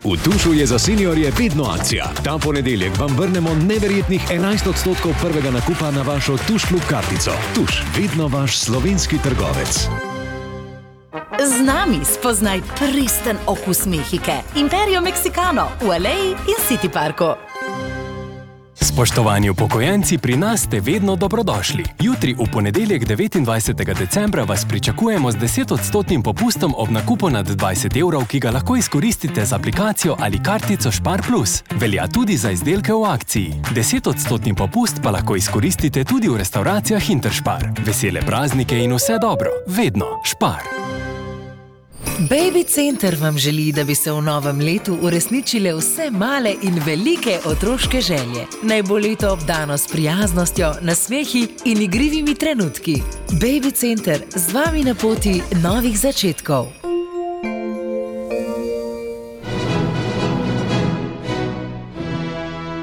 V Tušu je za seniorje vedno akcija. Ta ponedeljek vam vrnemo neverjetnih enajst odstotkov prvega nakupa na vašo Tuš klub kartico. Tuš, vedno vaš slovenski trgovec. Z nami spoznaj pristen okus Mehike. Imperio Mexicano v Aleji in City Parku. Spoštovani upokojenci, pri nas ste vedno dobrodošli. Jutri v ponedeljek devetindvajsetega decembra vas pričakujemo z desetodstotnim popustom ob nakupu nad dvajset evrov, ki ga lahko izkoristite z aplikacijo ali kartico Spar plus. Velja tudi za izdelke v akciji. desetodstotni popust pa lahko izkoristite tudi v restavracijah Interspar. Vesele praznike in vse dobro. Vedno Spar. Baby Center vam želi, da bi se v novem letu uresničile vse male in velike otroške želje. Naj bo leto obdano s prijaznostjo, nasmehi in igrivimi trenutki. Baby Center z vami na poti novih začetkov.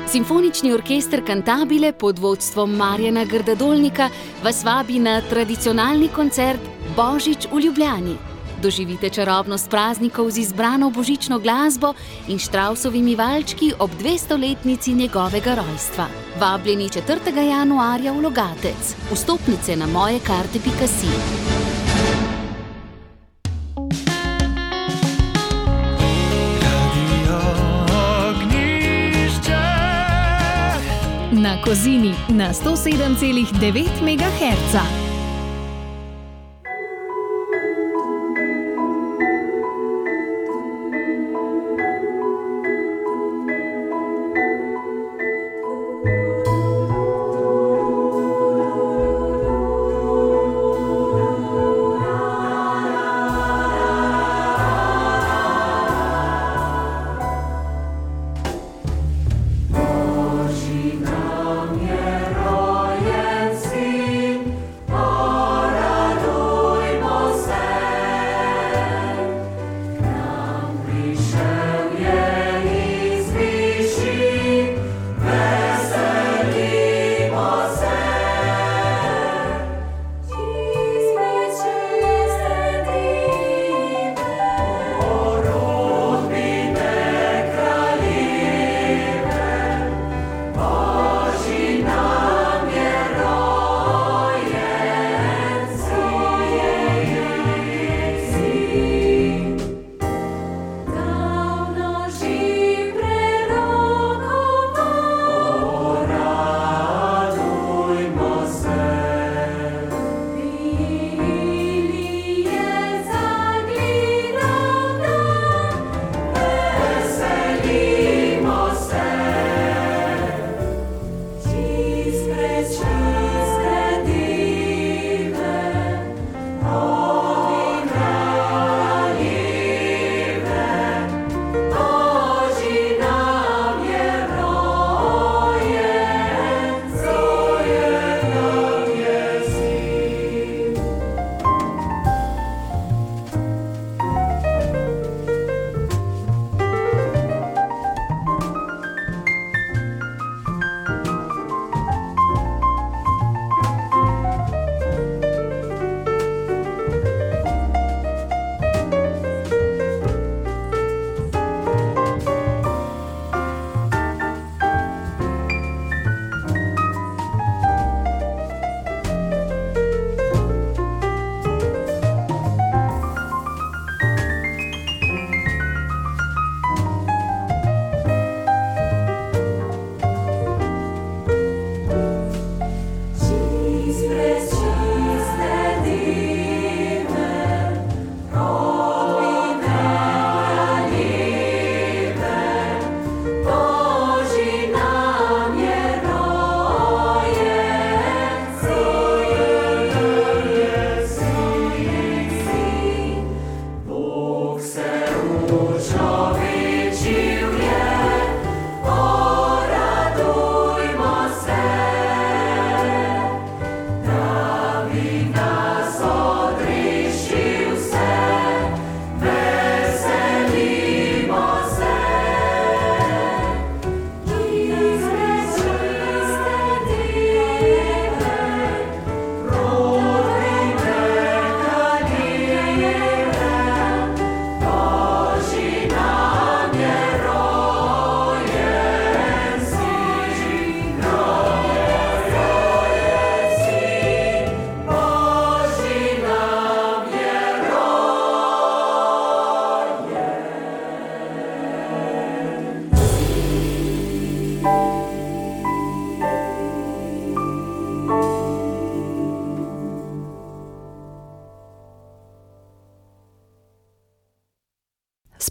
Simfonični orkester Cantabile pod vodstvom Marjana Grdadolnika vas vabi na tradicionalni koncert Božič v Ljubljani. Doživite čarobnost praznikov z izbrano božično glasbo in Štravsovimi valčki ob dvestoletnici njegovega rojstva. Vabljeni četrtega januarja v Logatec. Vstopnice na mojekarte pika si. Na Kozini na sto sedem celih devet megaherca.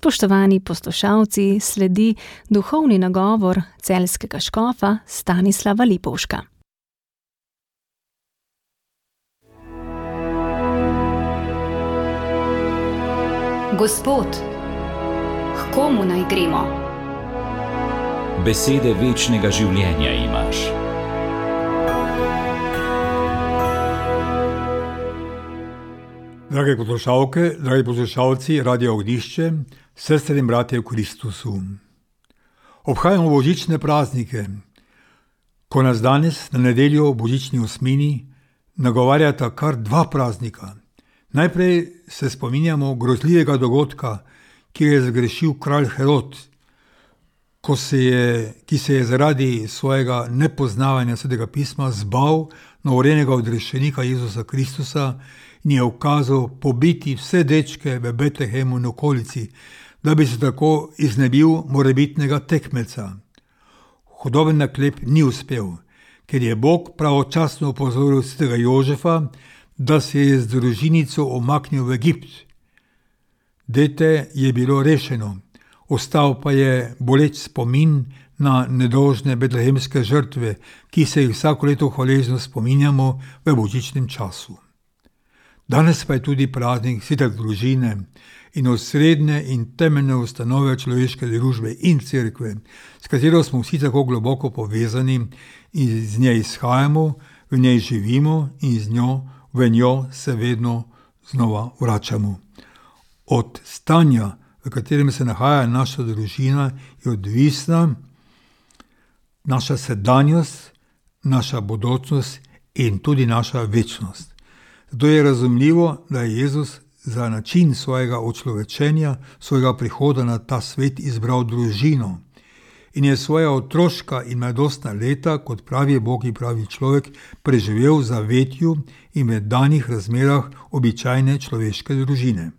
Spoštovani poslušalci, sledi duhovni nagovor celjskega škofa Stanislava Lipovška. Gospod, k komu naj gremo? Besede večnega življenja imaš. Drage poslušalke, dragi poslušalci Radia Ognjišče, sestre in bratje v Kristusu. Obhajamo božične praznike, ko nas danes na nedeljo v božični osmini nagovarjata kar dva praznika. Najprej se spominjamo grozljivega dogodka, ki je zagrešil kralj Herod, ko se je, ki se je zaradi svojega nepoznavanja Svetega pisma zbal novorojenega odrešenika Jezusa Kristusa in je ukazal pobiti vse dečke v Betlehemu in okolici, da bi se tako iznebil morebitnega tekmeca. Hudoben naklep ni uspel, ker je Bog pravočasno opozoril svetega Jožefa, da se je z družinico omaknil v Egipt. Dete je bilo rešeno, ostal pa je boleč spomin na nedolžne betlehemske žrtve, ki se jih vsako leto hvaležno spominjamo v božičnem času. Danes pa je tudi praznik svete družine in osrednje in temeljne ustanove človeške družbe in cerkve, s katero smo vsi tako globoko povezani in iz nje izhajamo, v njej živimo in z njo, v njo se vedno znova vračamo. Od stanja, v katerem se nahaja naša družina, je odvisna naša sedanjost, naša bodočnost in tudi naša večnost. Zato je razumljivo, da je Jezus za način svojega očlovečenja, svojega prihoda na ta svet izbral družino in je svoja otroška in mladostna leta, kot pravi Bog in pravi človek, preživel v zavetju in v danih razmerah običajne človeške družine.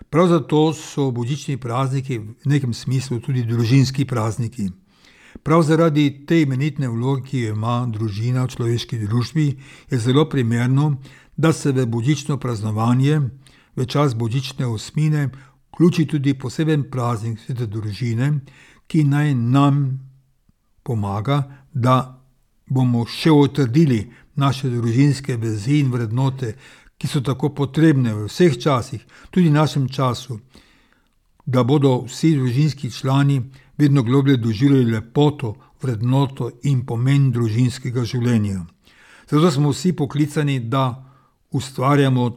Prav zato so božični prazniki v nekem smislu tudi družinski prazniki. Prav zaradi te imenitne vloge, ki jo ima družina v človeški družbi, je zelo primerno, da se v božično praznovanje, v čas božične osmine, vključi tudi poseben praznik svete družine, ki naj nam pomaga, da bomo še utrdili naše družinske vezi in vrednote, ki so tako potrebne v vseh časih, tudi v našem času, da bodo vsi družinski člani vedno globlje doživljali lepoto, vrednoto in pomen družinskega življenja. Zato smo vsi poklicani, da ustvarjamo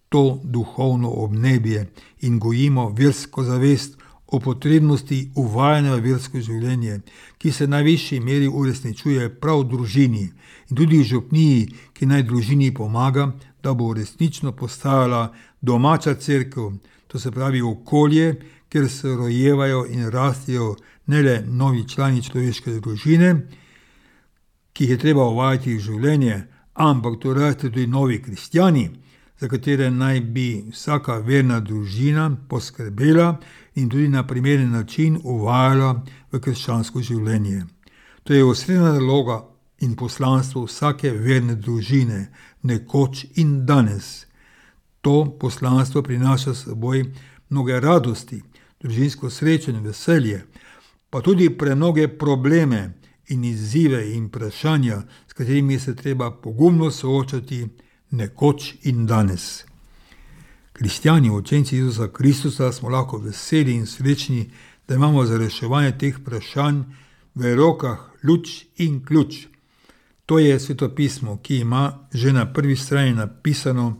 to duhovno obnebje in gojimo versko zavest o potrebnosti uvajanja v versko življenje, ki se v najvišji meri uresničuje prav v družini in tudi v župniji, ki naj družini pomaga, da bo resnično postajala domača cerkev, to se pravi okolje, kjer se rojevajo in rastejo ne le novi člani človeške družine, ki jih je treba uvajati v življenje, ampak to raste tudi novi kristjani, za katere naj bi vsaka verna družina poskrbela in tudi na primeren način uvajala v krščansko življenje. To je osrednja naloga in poslanstvo vsake verne družine, nekoč in danes. To poslanstvo prinaša s seboj mnoge radosti, družinsko srečo in veselje, pa tudi premnoge probleme in izzive in vprašanja, s katerimi se treba pogumno soočati nekoč in danes. Kristjani, učenci Jezusa Kristusa, smo lahko veseli in srečni, da imamo za reševanje teh vprašanj v rokah luč in ključ. To je svetopismo, ki ima že na prvi strani napisano,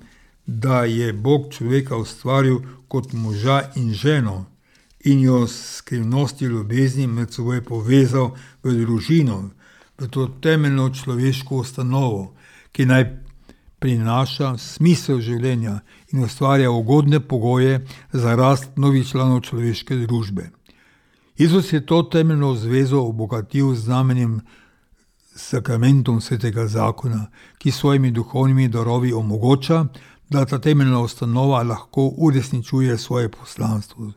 da je Bog človeka ustvaril kot moža in ženo in jo s skrivnosti ljubezni med seboj povezal v družino, v to temeljno človeško ustanovo, ki naj prinaša smisel življenja in ustvarja ugodne pogoje za rast novih članov človeške družbe. Jezus je to temeljno zvezo obogatil z znamenjem sakramentom svetega zakona, ki svojimi duhovnimi darovi omogoča, da ta temeljna ustanova lahko uresničuje svoje poslanstvo.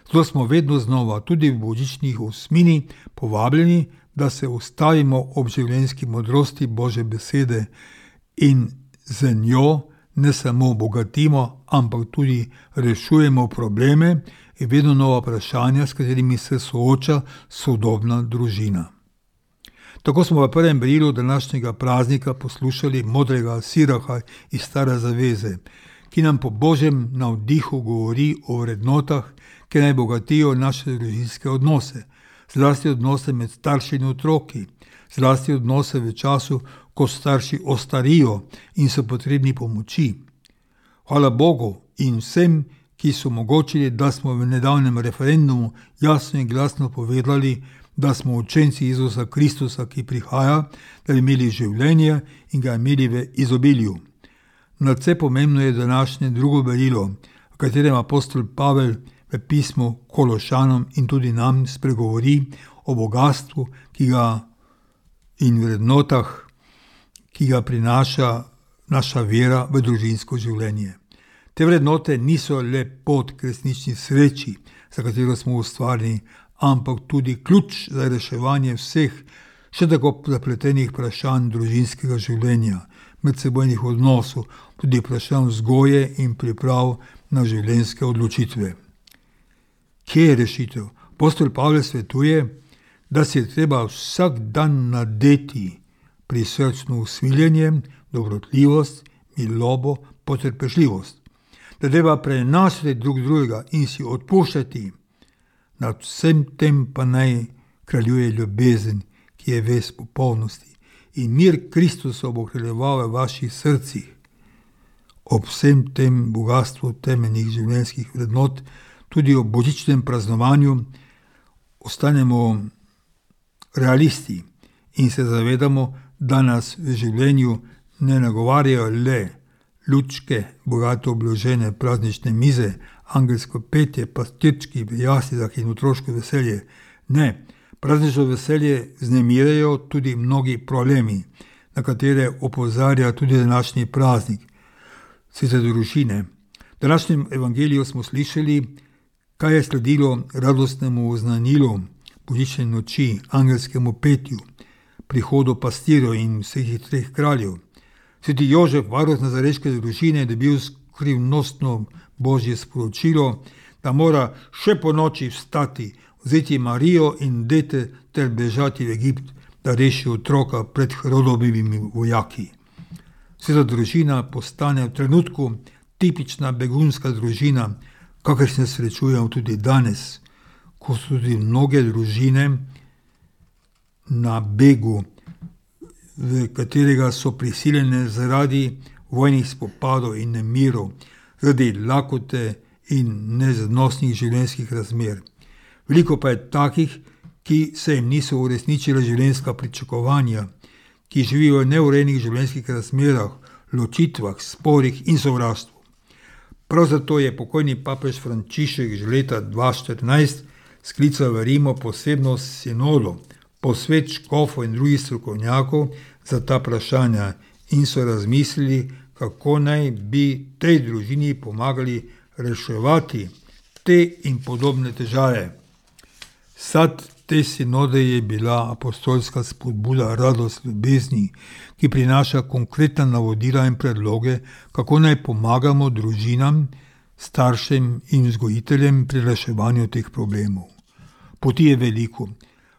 Zato smo vedno znova, tudi v božičnih osmini, povabljeni, da se ustavimo ob življenjski modrosti Božje besede in z njo ne samo bogatimo, ampak tudi rešujemo probleme in vedno nova vprašanja, s katerimi se sooča sodobna družina. Tako smo v prvem berilu današnjega praznika poslušali modrega Siraha iz Stare zaveze, ki nam po Božjem navdihu govori o vrednotah, ki naj bogatijo naše družinske odnose, zlasti odnose med starši in otroki, zlasti odnose v času, ko starši ostarijo in so potrebni pomoči. Hvala Bogu in vsem, ki so omogočili, da smo v nedavnem referendumu jasno in glasno povedali, da smo učenci Jezusa Kristusa, ki prihaja, da bi imeli življenje in ga imeli v izobilju. Nadvse pomembno je današnje drugo berilo, v katerem apostol Pavel v pismu Kološanom in tudi nam spregovori o bogatstvu, ki ga in vrednotah, ki ga prinaša naša vera v družinsko življenje. Te vrednote niso le pot k resnični sreči, za katero smo ustvarjeni, ampak tudi ključ za reševanje vseh še tako zapletenih vprašanj družinskega življenja, medsebojnih odnosov, tudi vprašanj vzgoje in priprav na življenjske odločitve. Kje je rešitev? Apostol Pavel svetuje, da si je treba vsak dan nadeti prisrčno usmiljenje, dobrotljivost, milobo, potrpežljivost. Da treba prenašati drug drugega in si odpuščati. Nad vsem tem pa naj kraljuje ljubezen, ki je ves popolnosti. In mir Kristusa bo kraljeval v vaših srcih. Ob vsem tem bogatstvu temeljnih življenjskih vrednot, tudi ob božičnem praznovanju, ostanemo realisti in se zavedamo, da nas v življenju ne nagovarjajo le lučke, bogato obložene praznične mize, angelsko petje, pastirčki v jaslicah in otroško veselje. Ne, praznično veselje vznemirajo tudi mnogi problemi, na katere opozarja tudi današnji praznik, svete družine. V današnjem evangeliju smo slišali, kaj je sledilo radostnemu oznanilu božične noči, angelskemu petju, prihodu pastirjev in vseh treh kraljev. Sveti Jožef, varuh nazareške družine, je dobil skrivnostno božje sporočilo, da mora še po noči vstati, vzeti Marijo in dete ter bežati v Egipt, da reši otroka pred Herodovimi vojaki. Sveta družina postane v trenutku tipična begunska družina, kakor se srečujemo tudi danes, ko so tudi mnoge družine na begu, v katerega so prisiljene zaradi vojnih spopadov in nemirov, zaradi lakote in neznosnih življenjskih razmer. Veliko pa je takih, ki se jim niso uresničila življenjska pričakovanja, ki živijo v neurejenih življenjskih razmerah, ločitvah, sporih in sovraštvu. Prav zato je pokojni papež Frančišek že leta dva tisoč štirinajst sklical v Rimu posebno sinodo, posvet škofov in drugih strokovnjakov za ta vprašanja in so razmislili, kako naj bi tej družini pomagali reševati te in podobne težave. Sad te sinode je bila apostolska spodbuda radost ljubezni, ki prinaša konkretna navodila in predloge, kako naj pomagamo družinam, staršem in vzgojiteljem pri reševanju teh problemov. Poti je veliko.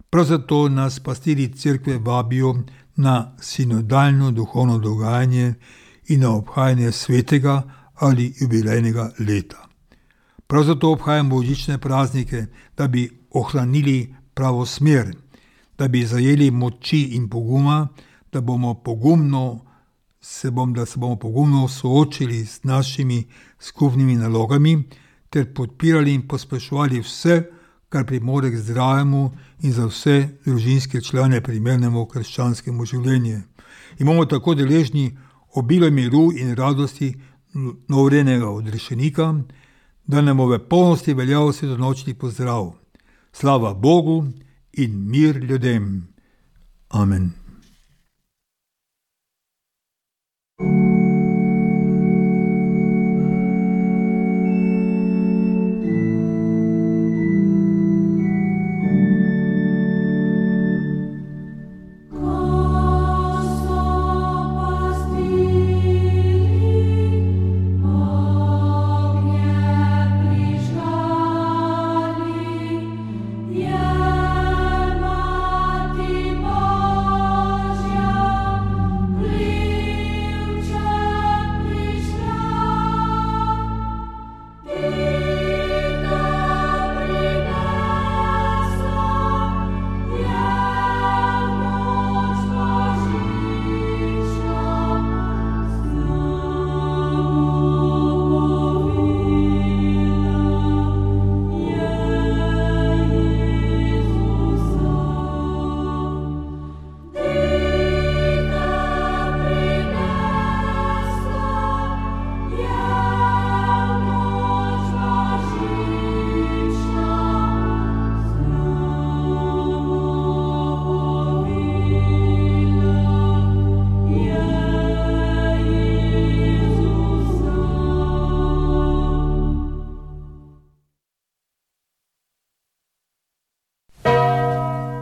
Prav zato nas pastirji cerkve vabijo na sinodalno duhovno dogajanje in na obhajanje svetega ali jubilejnega leta. Prav zato obhajamo božične praznike, da bi ohranili pravo smer, da bi zajeli moči in poguma, da bomo pogumno se, bom, da se bomo pogumno soočili s našimi skupnimi nalogami ter podpirali in pospeševali vse, kar pripomore k zdravemu in za vse družinske člane primernemu krščanskemu življenju. In bomo tako deležni obilo miru in radosti novorojenega odrešenika, da nam bo v polnosti veljal svetonočni pozdrav. Slava Bogu in mir ljudem. Amen.